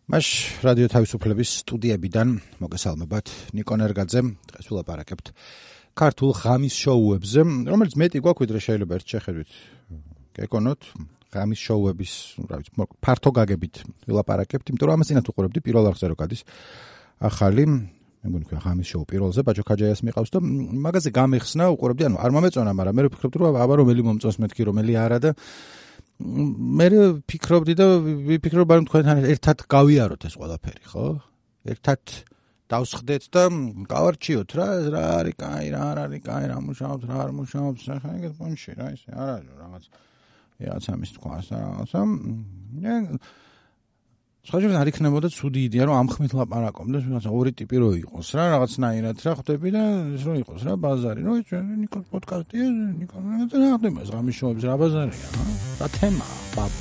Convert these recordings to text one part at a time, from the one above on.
მაშ რადიო თავისუფლების სტუდიებიდან მოგესალმებათ. ნიკო ნერგაძე, დღეს ვილაპარაკებთ ქართულ ღამის შოუებზე, რომელიც მეტი გვაქვს, ვიდრე შეიძლება ერთ შეხედვით გეკონოთ. ღამის შოუების, ფართო გაგებით ვილაპარაკებთ, იმიტომ რომ ამას წინათ უყურებდი პირველ არხზე რო გადის ახალი, მე მგონი ღამის შოუ პირველზე ბაჯო ქაჯაიას მიყავს და მაგაზე გამეხსნა უყურებდი, ანუ არ მომეწონა, მაგრამ მე ვფიქრობდი რომ აბა რომელი მომწონს მეთქი, რომელი არა და მე ვფიქრობდი და ვიფიქრობ რომ თქვენთან ერთად გავიაროთ ეს ყველაფერი, ხო? ერთად დავსხდეთ და გავარჩიოთ რა არის კაი, რა არ არის კაი, რა მუშაობს, რა არ მუშაობს, ხა ეგეთ პონჩი რა ისე არ არის რაღაც ამის თქواس და რაღაცა. სხვაჯერად არ იქნებოდა ცუდი იდეა რომ ამხმით ლაპარაკობდეს, რაღაცა ორი ტიპი რო იყოს რა, რაღაცნაირად რა ხვდები და ეს რო იყოს რა ბაზარი, რო ნიკოს პოდკასტია, ნიკოს რა ხდება ეს ღამის შოუებზე რა ბაზარია, რა თემაა, ბაბ.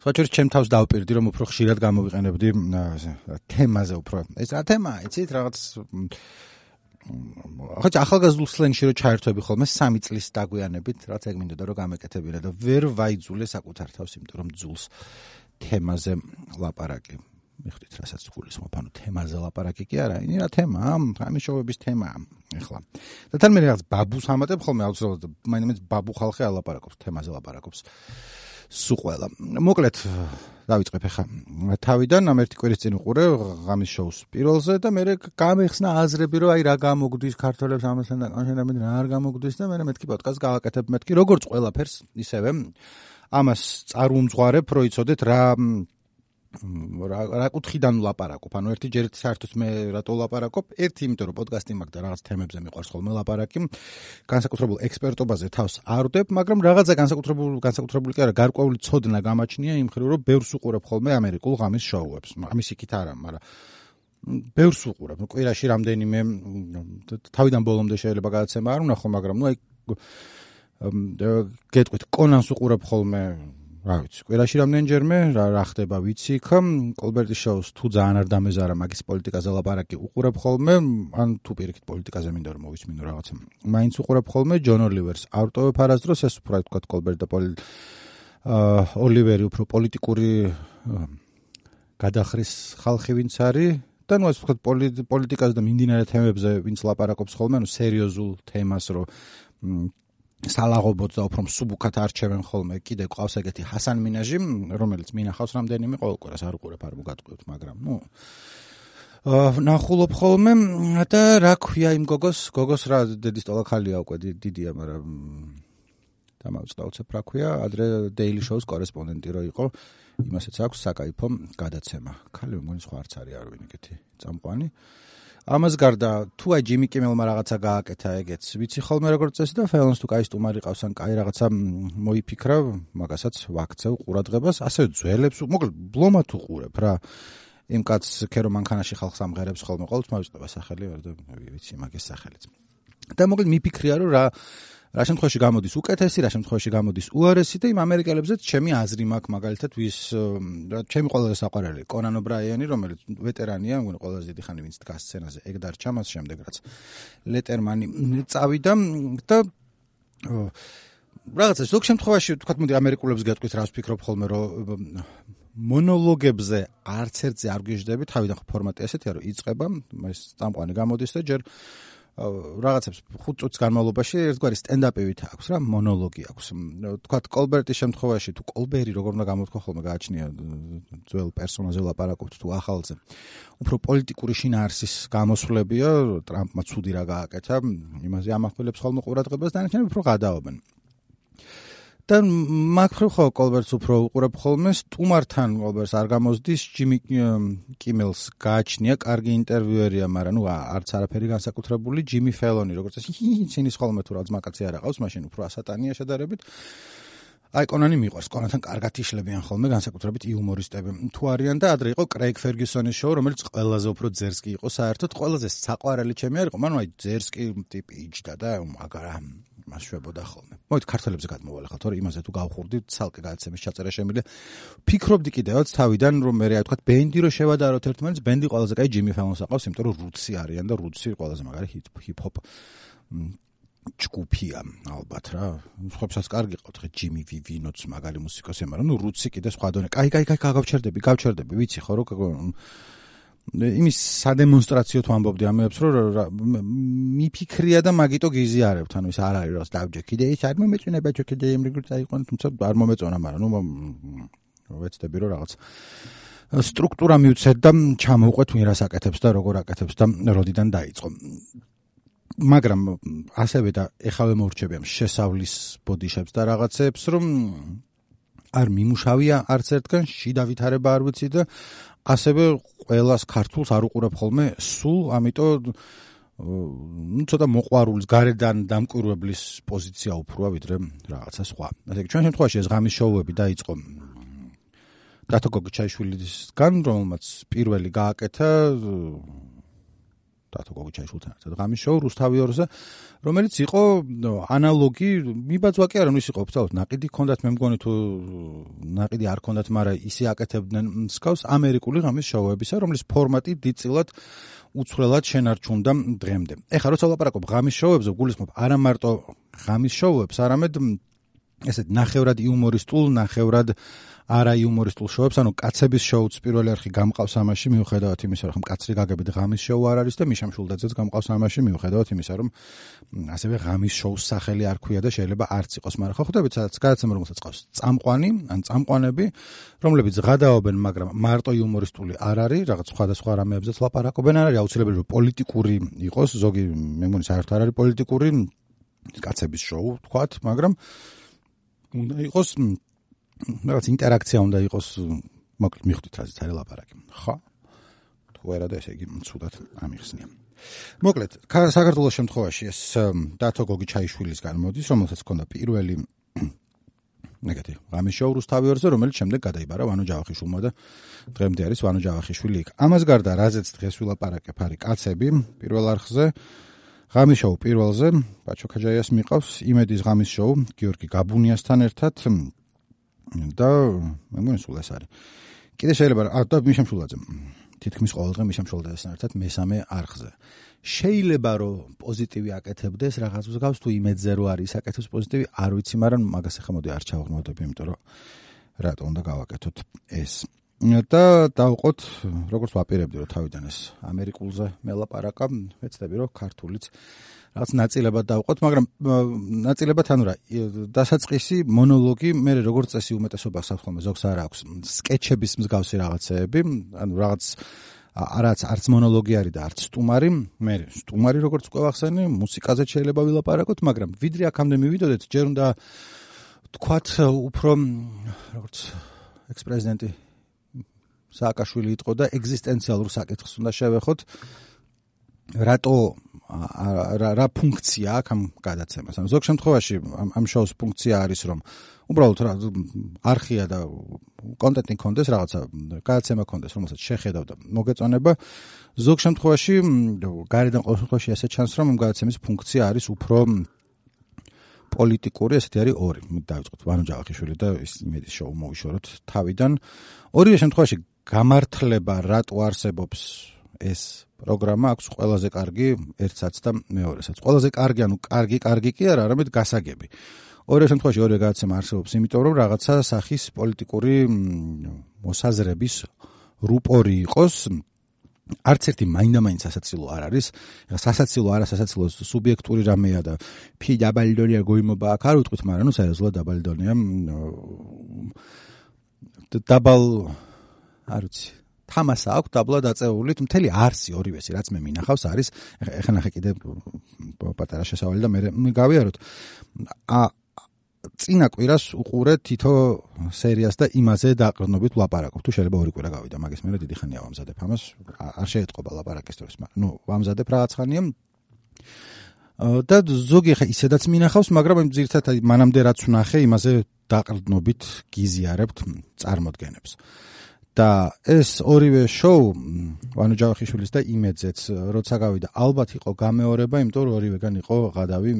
სხვაჯერ ჩემ თავს დავპირდი რომ უფრო ხშირად გამოვიყენებდი თემაზე უფრო. ეს რა თემაა, იცით, რაღაც ხოჭ ახალგაზრდულ სლენგში რო ჩაერთვები ხოლმე 3 წლის დაგვიანებით, რაც ეგ მინდოდა რომ გამეკეთებინა და ვერ ვაიძულე საკუთარ თავს, იმიტომ რომ ძულს თემაზე ლაპარაკი. მიხდით რასაც გულისხმობ, ანუ თემაზე ლაპარაკი კი არა, ini რა თემაა, ამის შოუების თემაა ეხლა. და თან მე რაღაც ბაბუს ამატებ ხოლმე აუცილებლად, მაინც ბაბუ ხალხი ალაპარაკობს, თემაზე ლაპარაკობს. სუყველა. მოკლედ დავიწყებ ახლა თავიდან ამ ერთი კვირის წინ ვყურე ღამის შოუს პირველზე და მე გამეხსნა აზრები რომ აი რა გამოგვდის ქართველებს ამასთან დაკავშირებით რა არ გამოგვდის და მე მეთქი პოდკასტს გავაკეთებ მეთქი როგორც ყველაფერს ისევე ამას წარუმძღვარებ რო იცოდეთ რა კუთხიდან ვლაპარაკობ. ანუ ერთი ჯერ საერთოდ მე რატო ვლაპარაკობ? ერთი იმიტომ რომ პოდკასტი მაქვს და რაღაც თემებზე მიყვარს ხოლმე ლაპარაკი. განსაკუთრებულ ექსპერტობაზე თავს არ ვდებ, მაგრამ რაღაცა განსაკუთრებული კი არა, გარკვეული ცოდნა გამაჩნია იმ ხრივ რომ ბევრს უყურებ ხოლმე ამერიკულ ღამის შოუებს. ამის იქით არა, მაგრამ ბევრს უყურებ. კვირაში რამდენიმე თავიდან ბოლომდე შეიძლება გადაცემა არ ვნახო, მაგრამ აი გეტყვით, კონანს უყურებ ხოლმე რა ვიცი, კვირაში რამდენჯერმე რა ხდება ვიცი იქ, კოლბერტის შოუს თუ ძალიან არ დამეზარა მაგის პოლიტიკაზე ლაპარაკი უყურებ ხოლმე, ან თუ პირიქით პოლიტიკაზე მინდა რომ მოვისმინო რაღაცა. მაინც უყურებ ხოლმე ჯონ ოლივერს. არ ვტოვებ არასდროს ეს უფრო თქვა კოლბერტ და ოლივერი უფრო პოლიტიკური გადახრის ხალხი ვინც არის და ნუ ასე ვთქვათ პოლიტიკაზე და მიმდინარე თემებზე ვინც ლაპარაკობს ხოლმე, ანუ სერიოზულ თემას რო სალაღობოთ და უფრო მსუბუქად არჩევენ ხოლმე. კიდე ყავს ეგეთი ჰასან მინაჟი, რომელიც მინახავს რამდენიმე ყოველ კვირას არ უყურებ, არ მოგატყუებთ, მაგრამ ნახულობ ხოლმე და რა ქვია იმ გოგოს რა დედის ტოლა ხალია უკვე დიდია, მაგრამ დამავიწყდა უცებ რა ქვია, ადრე Daily Show-ს კორესპონდენტი რო იყო, იმასაც აქვს საკაიფო გადაცემა. ხალი მგონი სხვა არც არის არ ვინ ეგეთი წამყვანი. ამას გარდა თუ აი ჯიმი კიმელმა რაღაცა გააკეთა ეგეც ვიცი ხოლმე როგორც წესი და ფელონს თუ კაი სტუმარი ყავს ან კაი რაღაცა მოიფიქრა მაგასაც ვაქცევ ყურადღებას ასევე ძველებს მოკლედ ბლომად უყურებ რა იმ კაცს ქერო მანქანაში ხალხს ამღერებს ხოლმე ყოველთვის მოვიწყდება სახელი და ვიცი მაგის სახელიც და მოკლედ მიფიქრია რომ რა შემთხვევაში გამოდის უკეთესი, რა შემთხვევაში გამოდის უარესი და იმ ამერიკელებზეც ჩემი აზრი მაქვს მაგალითად ვის ჩემი ყველაზე საყვარელი კონან ობრაიანი, რომელიც ვეტერანია, მგონი ყველაზე დიდი ხანი ვინც დგას სცენაზე, ეგ დარჩა მას შემდეგ რაც ლეტერმანი წავიდა და რაღაცა ზოგ შემთხვევაში თქვათ მოდი ამერიკულებს გეტყვით რას ვფიქრობ ხოლმე რომ მონოლოგებზე არც ერთზე არ გიждები, თავიდან ფორმატი ესეთია რომ იწყება, ეს წამყვანი გამოდის და ჯერ რაღაცებს 5 წუთის განმავლობაში ერთგვარი სტენდაპივით აქვს რა, მონოლოგი აქვს. თქვათ კოლბერტის შემთხვევაში თუ კოლბერი როგორ უნდა გამოთქვა ხოლმე გააჩნია ძველ პერსონაჟზე ლაპარაკობთ თუ ახალზე. უფრო პოლიტიკური შინაარსის გამოსვლებია, ტრამპმა ცუდი რა გააკეთა, იმაზე ამახვილებს ხოლმე ყურადღებას და არჩენები უფრო გადაობენ. და მაგხრივ ხო კოლბერტს უფრო უყურებ ხოლმე, სტუმართან კოლბერტს არ გამოსდის, ჯიმი კიმელს გააჩნია, კარგი ინტერვიუერია, მაგრამ ნუ არც არაფერი განსაკუთრებული, ჯიმი ფელონი, როგორც წესი, ცინის ხოლმე თუ რაღაც მაკაცი არ აყავს, მაშინ უფრო ასატანია შედარებით. აი კონანი მიყვარს, კონანთან კარგად იშლებიან ხოლმე, განსაკუთრებით იუმორისტები. თუ არიან და ადრე იყო კრეიგ ფერგიუსონის შოუ, რომელიც ყველაზე უფრო ძერსკი იყო, საერთოდ ყველაზე საყვარელი ჩემი არ იყო, მანუ აი ძერსკი ტიპი იჯდა და მაგარა მას შვებოდა ხოლმე. მოვით ქართველებზე გადმოვალეხავთ, თორე იმაზე თუ გავხურდით, ცალკე გადაცემის ჩაწერა შემიძლია. ფიქრობდი კიდევაც თავიდან, რომ მე რა ვთქვათ, ბენდი რო შევადაროთ ერთმანეთს, ბენდი ყველაზე კაი ჯიმი ფელონს აყავს, იმიტომ რომ რუცი არიან და რუცი ყველაზე მაგარი ჰიპ-ჰოპ ჯგუფია ალბათ რა. სხვებსაც კარგი ყავთ, ხე ჯიმი ვივინოც მაგარი მუსიკოსია, მაგრამ ნუ რუცი კიდე სხვა დონე. კაი, გავჩერდები, ვიცი ხო რომ იმის სადემონსტრაციო თუ ამბობდი ამებს, რომ მიფიქრია და მაგიტო გიზიარებთ, ანუ ის არ არის რას დავჯე. კიდე ის არ მომეწონება, კიდე იმრიგრით აიყვან, თუმცა არ მომეწონა, მაგრამ ნუ ვეცდები რომ რაღაც სტრუქტურა მივცეთ და ჩამოვყვეთ ვინ რას აკეთებს და როგორ აკეთებს და როდიდან დაიწყო. მაგრამ ასევე და ეხავე მორჩები ამ შესავლის ბოდიშებს და რაღაცებს, რომ არ მიმუშავია არც ერთგან, შიდა ვითარება არ ვიცი და ასევე ყველას ქართულს არ უყურებ ხოლმე სულ, ამიტომ ცოტა მოყვარულის გარედან დამკვირვებლის პოზიცია უფროა ვიდრე რაღაცა სხვა. ასე იგი, ჩვენ შემთხვევაში ეს ღამის შოუები დაიწყო დათო გოგიჩაიშვილისგან, რომელმაც პირველი გააკეთა დათო გოგიჩაიშვილთან ერთად ღამის შოუ რუსთავი 2-ზე, რომელიც იყო ანალოგი, მიბაძვა კი არა, ის იყო ოფიციალურად ნაყიდი ჰქონდათ, მე მგონი თუ ნაყიდი არ ჰქონდათ, მაგრამ ისე აკეთებდნენ მსგავს ამერიკული ღამის შოუებისა, რომლის ფორმატი დიდწილად უცვლელად შენარჩუნდა დღემდე. ეხლა როცა ვლაპარაკობ ღამის შოუებზე, გულისხმობ არა მარტო ღამის შოუებს, არამედ ესეთ ნახევრად იუმორისტულ, ნახევრად არა იუმორისტულ შოუებს, ანუ კაცების შოუც პირველი არხი გამყავს ამაში, მიუხედავად იმისა, რომ კაცრი გაგებით ღამის შოუ არ არის და მიშა მშულდაძეც გამყავს ამაში, მიუხედავად იმისა, რომ ასევე ღამის შოუს სახელი არ ქვია და შეიძლება არც იყოს, მაგრამ ხო ხვდებით, სადაც გადაცემა რომელსაც ყავს წამყვანი, ან წამყვანები, რომლებიც ღადაობენ, მაგრამ მარტო იუმორისტული არ არის, რაღაც სხვადასხვა რამეებზეც ლაპარაკობენ, არ არის აუცილებელი რომ პოლიტიკური იყოს, ზოგი მე მგონი საერთოდ არ არის პოლიტიკური, კაცების შოუ თქვათ, მაგრამ უნდა იყოს რაღაც ინტერაქცია უნდა იყოს, მოკლედ მიხვდით რაზეც არის ლაპარაკი. ხო? თუ არა და ესე იგი ცუდად ამიხსნია. მოკლედ, საქართველოს შემთხვევაში ეს დათო გოგიჩაიშვილისგან მოდის, რომელსაც ჰქონდა პირველი ღამის შოუ რუსთავი 2-ზე, რომელიც შემდეგ გადაიბარა ვანო ჯავახიშვილმა და დღემდე არის ვანო ჯავახიშვილი იქ. ამას გარდა, რაზეც დღეს ვილაპარაკებ, არის კაცები პირველ არხზე. ღამის შოუ პირველზე ბაჩო ქაჯაიას მიყავს, იმედის ღამის შოუ გიორგი გაბუნიასთან ერთად და მე მგონი სულ ეს არის. კიდე შეიძლება და მიშა მშულაძე. თითქმის ყოველდღე მიშა მშულაძესთან ერთად მესამე არხზე. შეიძლება რომ პოზიტივი აკეთებდეს რაღაც მსგავს, თუ იმედზე რო არის აკეთებს პოზიტივი, არ ვიცი, მაგრამ მაგას ახლა მოდი არ ჩავღმავდები, იმიტომ რომ რატო უნდა გავაკეთოთ ეს. და დავყოთ, როგორც ვაპირებდი, რომ თავიდან ეს ამერიკულზე მელაპარაკა, ვეცდები რომ ქართულიც რაღაც ნაწილებად დავყოთ, მაგრამ ნაწილებად ანუ რა, დასაწყისი მონოლოგი, მე როგორც წესი უმეტესობას აქვს ხოლმე, ზოგს არ აქვს სკეჩების მსგავსი რაღაცეები, ანუ რაღაც არც მონოლოგი არის და არც სტუმარი, მე სტუმარი როგორც უკვე ვახსენე, მუსიკაზე შეიძლება ვილაპარაკოთ, მაგრამ ვიდრე აქამდე მივიდოდეთ, ჯერ უნდა თქვათ უფრო როგორც ექს-პრეზიდენტი სააკაშვილი იყო და ეგზისტენციალურ საკითხს უნდა შევეხოთ, რატო რა ფუნქცია აქვს ამ გადაცემას. ანუ ზოგ შემთხვევაში ამ შოუს ფუნქცია არის, რომ უბრალოდ არხია და კონტენტი კონდეს, რაღაცა გადაცემა კონდეს, რომელსაც შეხედავ და მოგეწონება. ზოგ შემთხვევაში გარედან ყოველ შემთხვევაში ესე ჩანს, რომ ამ გადაცემის ფუნქცია არის უფრო პოლიტიკური, ესეთი არის ორი. დავიწყოთ ვანო ჯავახიშვილი და იმედის შოუ მოვიშოროთ თავიდან. ორივე შემთხვევაში გამართლება რატო არსებობს ეს პროგრამა აქვს ყველაზე კარგი ერთსაც და მეორესაც. ყველაზე კარგი, ანუ კარგი კი არა, არამედ გასაგები. ორივე შემთხვევაში ორივე გადაცემა არსებობს, იმიტომ რომ რაღაცა სახის პოლიტიკური მოსაზრების რუპორი იყოს. არც ერთი მაინდა-მაინც სასაცილო არ არის. სასაცილო არასასაცილო სუბიექტური რამეა და ფი დაბალდონია გოიმობა აქ არ ვიტყვით, მაგრამ ნუ სერიოზულად დაბალდონია. დაბალ არ ვიცი. თამასა აქვს დაბლა დაწეული, მთელი არსი ორივესი, რაც მე მინახავს, არის ეხლა ნახე კიდე პატარა შესავალი და მე გავიაროთ. წინა კვირას უყურე თითო სერიას და იმაზე დაყრდნობით ვლაპარაკობ. თუ შეიძლება ორი კვირა გავიდა, მაგის მე დიდი ხანია ვამზადებ ამას, არ შეეტყობა ლაპარაკის დროს, მაგრამ ნუ ვამზადებ რაღაც ხანია. და ზოგი ხა ისედაც მინახავს, მაგრამ ძირითადად მანამდე რაც ვნახე, იმაზე დაყრდნობით გიზიარებთ წარმოდგენებს. და ეს ორივე შოუ ვანო ჯავახიშვილის და იმედზეც როცა გავიდა ალბათ იყო გამეორება, იმიტომ რომ ორივეგან იყო ღადავი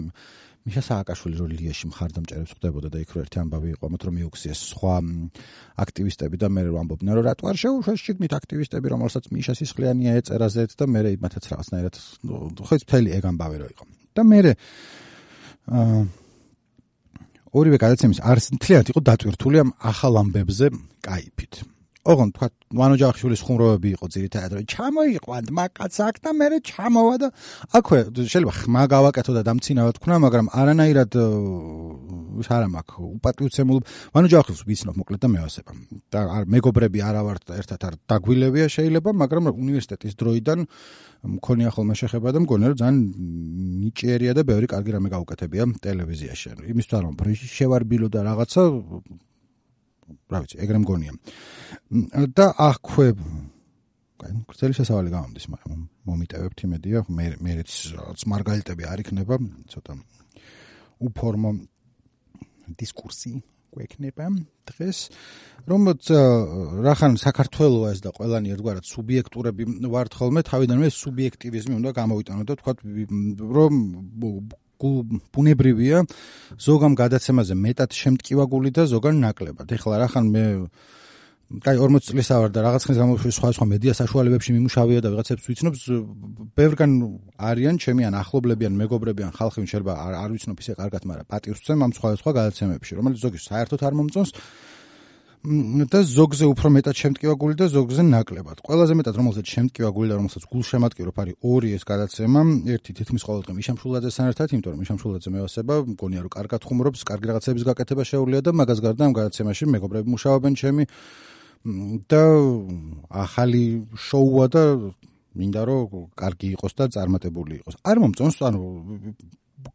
მიშა სააკაშვილი რო ლიაში მხარდამჭერებს ხდებოდა და იქ რო ერთი ამბავი იყო, ამათ რომ მიუქციეს სხვა აქტივისტები და მე რო ამბობდნენ რომ რატო არ შეუშვეს შიგნით აქტივისტები, რომელსაც მიშა სისხლიანია ეწერა ზეთ და მე იმათაც რაღაცნაირად ხო ეს მთელი ეგ ამბავი რო იყო. და მე ორივე გადაცემის მთლიანად იყო დატვირთული ამ ახალ ამბებზე კაიფით. ოღონდ თქვა ვანო ჯავახიშვილის ხუმრობები იყო ძირითადად რომ ჩამოიყვანთ მაგაც აქ და მე ჩამოვა და აქვე შეიძლება ხმა გავაკეთო და დამცინავად თქვა, მაგრამ არანაირად არა მაქვს უპატივცემულ ვანო ჯავახიშვილს ვიცნობ მოკლედ და მევასება. და მეგობრები არა ვართ და ერთად არ დაგვილებია შეიძლება, მაგრამ უნივერსიტეტის დროიდან მქონია ხოლმე შეხება და მგონია რომ ძალიან ნიჭიერია და ბევრი კარგი რამე გაუკეთებია ტელევიზიაში. იმისთვის რომ შევარბილო და რაღაცა რა ვიცი, ეგრე მგონია. და აქვე გრძელი შესავალი გამომდის, მაგრამ მომიტევებთ იმედია, მერეც რაღაც მარგალიტები არ იქნება, ცოტა უფორმო დისკურსი გვექნება დღეს, რომელიც რახან საქართველოა ეს და ყველანი ერთგვარად სუბიექტურები ვართ ხოლმე, თავიდანვე სუბიექტივიზმი უნდა გამოვიტანოთ და თქვა რომ ბუნებრივია ზოგამ გადაცემაზე მეტად შემტკივაგული და ზოგან ნაკლებად. ეხლა რახან მე 40 წლის ავარ და რაღაც ხნის განმავლობაში სხვა მედია საშუალებებში მიმუშავია და ვიღაცებს ვიცნობს, ბევრგან არიან ჩემი ან ახლობლები ან მეგობრები ან ხალხი შეიძლება არ ვიცნობ ისე კარგად, მაგრამ პატივს ვცემ ამ სხვა გადაცემებში, რომელიც ზოგი საერთოდ არ მომწონს და ზოგზე უფრო მეტად შემტკივაგული და ზოგზე ნაკლებად. ყველაზე მეტად რომელსაც შემტკივაგული და რომელსაც გულშემატკივრო არის ორი ეს გადაცემა, ერთი თითქმის ყოველდღე მიშამშულაძესთან ერთად, იმიტომ რომ მიშამშულაძე მევასება, მგონია რომ კარგად ხუმრობს, კარგი რაღაცების გაკეთება შეუძლია და მაგას გარდა ამ გადაცემაში მეგობრები მუშაობენ ჩემი და ახალი შოუა და მინდა რომ კარგი იყოს და წარმატებული იყოს. არ მომწონს, ანუ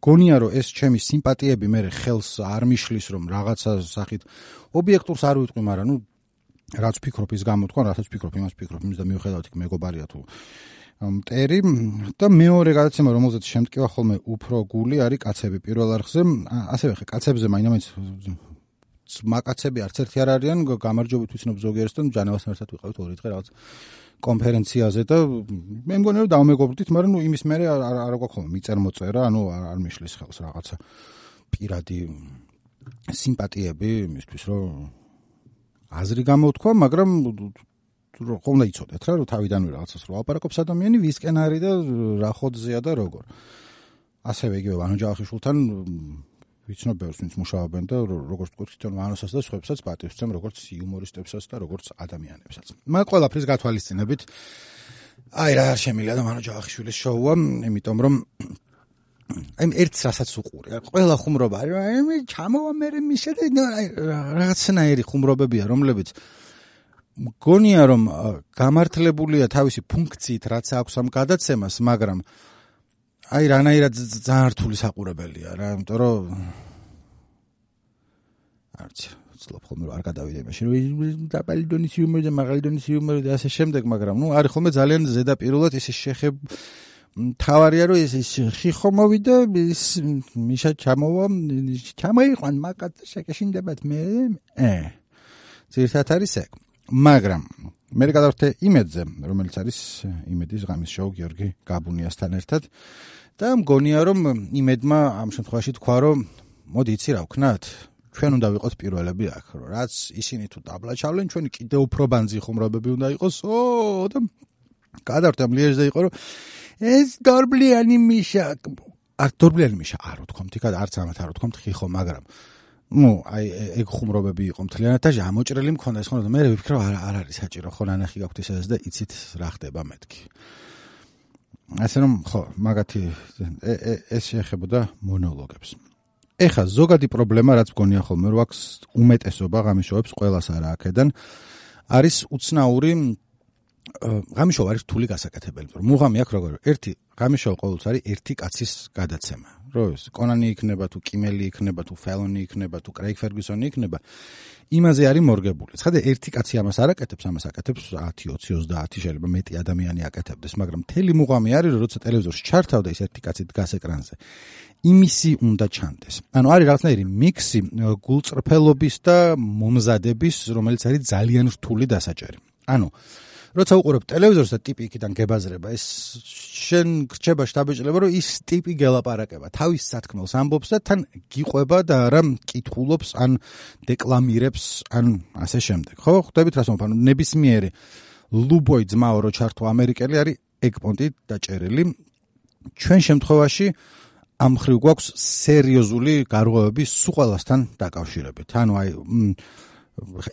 გონია რომ ეს ჩემი სიმპათიები მე ხელს არ მიშლის რომ რაღაცა სახით ობიექტურს არ ვიტყვი, მაგრამ ნუ რაც ვფიქრობ ის გამოთქვა, რასაც ვფიქრობ იმას ვფიქრობ, იმის და მიუხედავად იქ მეგობარია თუ მტერი და მეორე გადაცემა რომელზეც შემტკივა ხოლმე უფრო გული არის კაცები პირველ არხზე, ასევე ხე კაცებზე მაინც მაკაცები არც ერთი არ არიან, გამარჯვებით ვიცნობ ზოგიერთს და ჯანევასთან ერთად ვიყავით ორი დღე რაღაც კონფერენციაზე და მე მგონია რომ დავმეგობრდით, მაგრამ ნუ იმის მერე არ გვაქვს ხოლმე მიწერ-მოწერა, ანუ არ მიშლის ხელს რაღაცა პირადი სიმპათიები იმისთვის რომ აზრი გამოვთქვა, მაგრამ ხომ უნდა იცოდეთ რა, რომ თავიდანვე რაღაცას რო აპარაკობს ადამიანი, ვისკენ არის და რა ხოძია და როგორ. ასევე იგივე ვანო ჯავახიშვილთან ვიცნობ ბევრს ვინც მუშაობენ და როგორც თქვით თვითონ ვანოსაც და სხვებსაც პატივს ვცემ როგორც იუმორისტებსაც და როგორც ადამიანებსაც. მაგ ყველაფრის გათვალისწინებით აი რა შემიძლია და ვანო ჯავახიშვილის შოუა, იმიტომ რომ აი ერთს რასაც უყური, ყველა ხუმრობა არის, აი ჩამოვა მე მიშა და რაღაცნაირი ხუმრობებია, რომლებიც მგონია რომ გამართლებულია თავისი ფუნქციით, რაც აქვს ამ გადაცემას, მაგრამ აი რანაირად ძალიან რთული საყურებელია რა, იმიტომ რომ არც ვცდილობ ხოლმე რომ არ გადავიდე იმაში, რომ დაბალი დონის იუმორი და მაღალი დონის იუმორი და ასე შემდეგ, მაგრამ ნუ არის ხოლმე ძალიან ზედაპირულად ისე თავარია რომ ეს ხიხო მოვიდა, მიშა ჩამოიყვან მაგათ შეკეშინდებათ მე ძირითადად არის ეგ. მაგრამ მე გადავხვდე იმედზე, რომელიც არის იმედის ღამის შოუ გიორგი გაბუნიასთან ერთად და მგონია რომ იმედმა ამ შემთხვევაში თქვა რომ მოდი იცი რა ვქნათ, ჩვენ უნდა ვიყოთ პირველები აქ, რომ რაც ისინი თუ დაბლა ჩავლენ, ჩვენი კიდევ უფრო ბანძი ხუმრობები უნდა იყოს. და გადავხვდე ამ ლიეჟზე იყო რომ ეს დორბლიანი მიშა, დორბლიანი მიშა არ ვთქვამთ, იქ არც ამათ არ ვთქვამთ ხიხო, მაგრამ აი ეგ ხუმრობები იყო მთლიანად და ამოჭრელი მქონდა ეს ხომ და მე ვიფიქრე არ არის საჭირო ხო ნანახი გაქვთ ეს და იცით რა ხდება მეთქი. ასე რომ ხო მაგათი ეს შეეხებოდა მონოლოგებს. ეხა ზოგადი პრობლემა რაც მგონია ხოლმე რომ აქვს უმეტესობა ღამის შოუებს ყველას არა აქედან არის უცნაური ღამის შოუ არის რთული გასაკეთებელი. მუღამი აქვს როგორ ერთი ღამის შოუ ყოველთვის არის ერთი კაცის გადაცემა. რომ კონანი იქნება თუ კიმელი იქნება თუ ფელონი იქნება თუ კრეიგ ფერგუსონი იქნება, იმაზე არის მორგებული. ცხადე ერთი კაცი ამას არ აკეთებს, ამას აკეთებს 10, 20, 30 შეიძლება მეტი ადამიანი აკეთებდეს, მაგრამ მთელი მუღამი არის, რომ როცა ტელევიზორში ჩართავდა ის ერთი კაცი დგას ეკრანზე. იმისი უნდა ჩანდეს. ანუ არის რაღაცნაირი მიქსი გულწრფელობის და მომზადების, რომელიც არის ძალიან რთული დასაჭერი. ანუ როცა უყურებ ტელევიზორს და ტიპი იქიდან გებაზრება, ეს შენ გრჩება შთაბეჭდილება, რომ ის ტიპი გელაპარაკება, თავის სათქმელს ამბობს და თან გიყვება და არა კითხულობს, ან დეკლამირებს, ან ასე შემდეგ. ხო, ხვდებით რას მომფანო, ნებისმიერი ლუბოი ძმაო რო ჩართო ამერიკელი არის ეგპონტით დაჭერილი. ჩვენ შემთხვევაში ამ ხრივ გვაქვს სერიოზული გარღვევები სულ ყველასთან დაკავშირებით. ანუ აი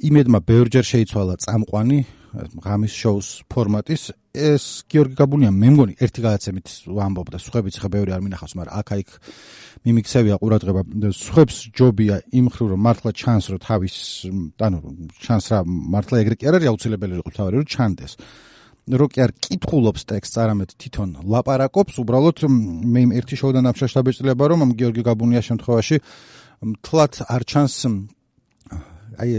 იმედმა ბევრჯერ შეიცვალა წამყვანი ღამის შოუს ფორმატის, ეს გიორგი გაბუნია მე მგონი ერთი გადაცემით ვამბობდა, სხვებიც ხა ბევრი არ მინახავს, მაგრამ აქ-აიქ მიმიქცევია ყურადღება, სხვებს ჯობია იმ ხრივ რომ მართლა ჩანს რომ თავის, ანუ ჩანს რა მართლა ეგრე კი არ არის აუცილებელი იყო თავი რომ ჩანდეს. რო კი არ კითხულობს ტექსტს, არამედ თვითონ ლაპარაკობს, უბრალოდ მე იმ ერთი შოუდან აფშაშ დაბეჭდილება რომ ამ გიორგი გაბუნიას შემთხვევაში მთლად არ ჩანს აი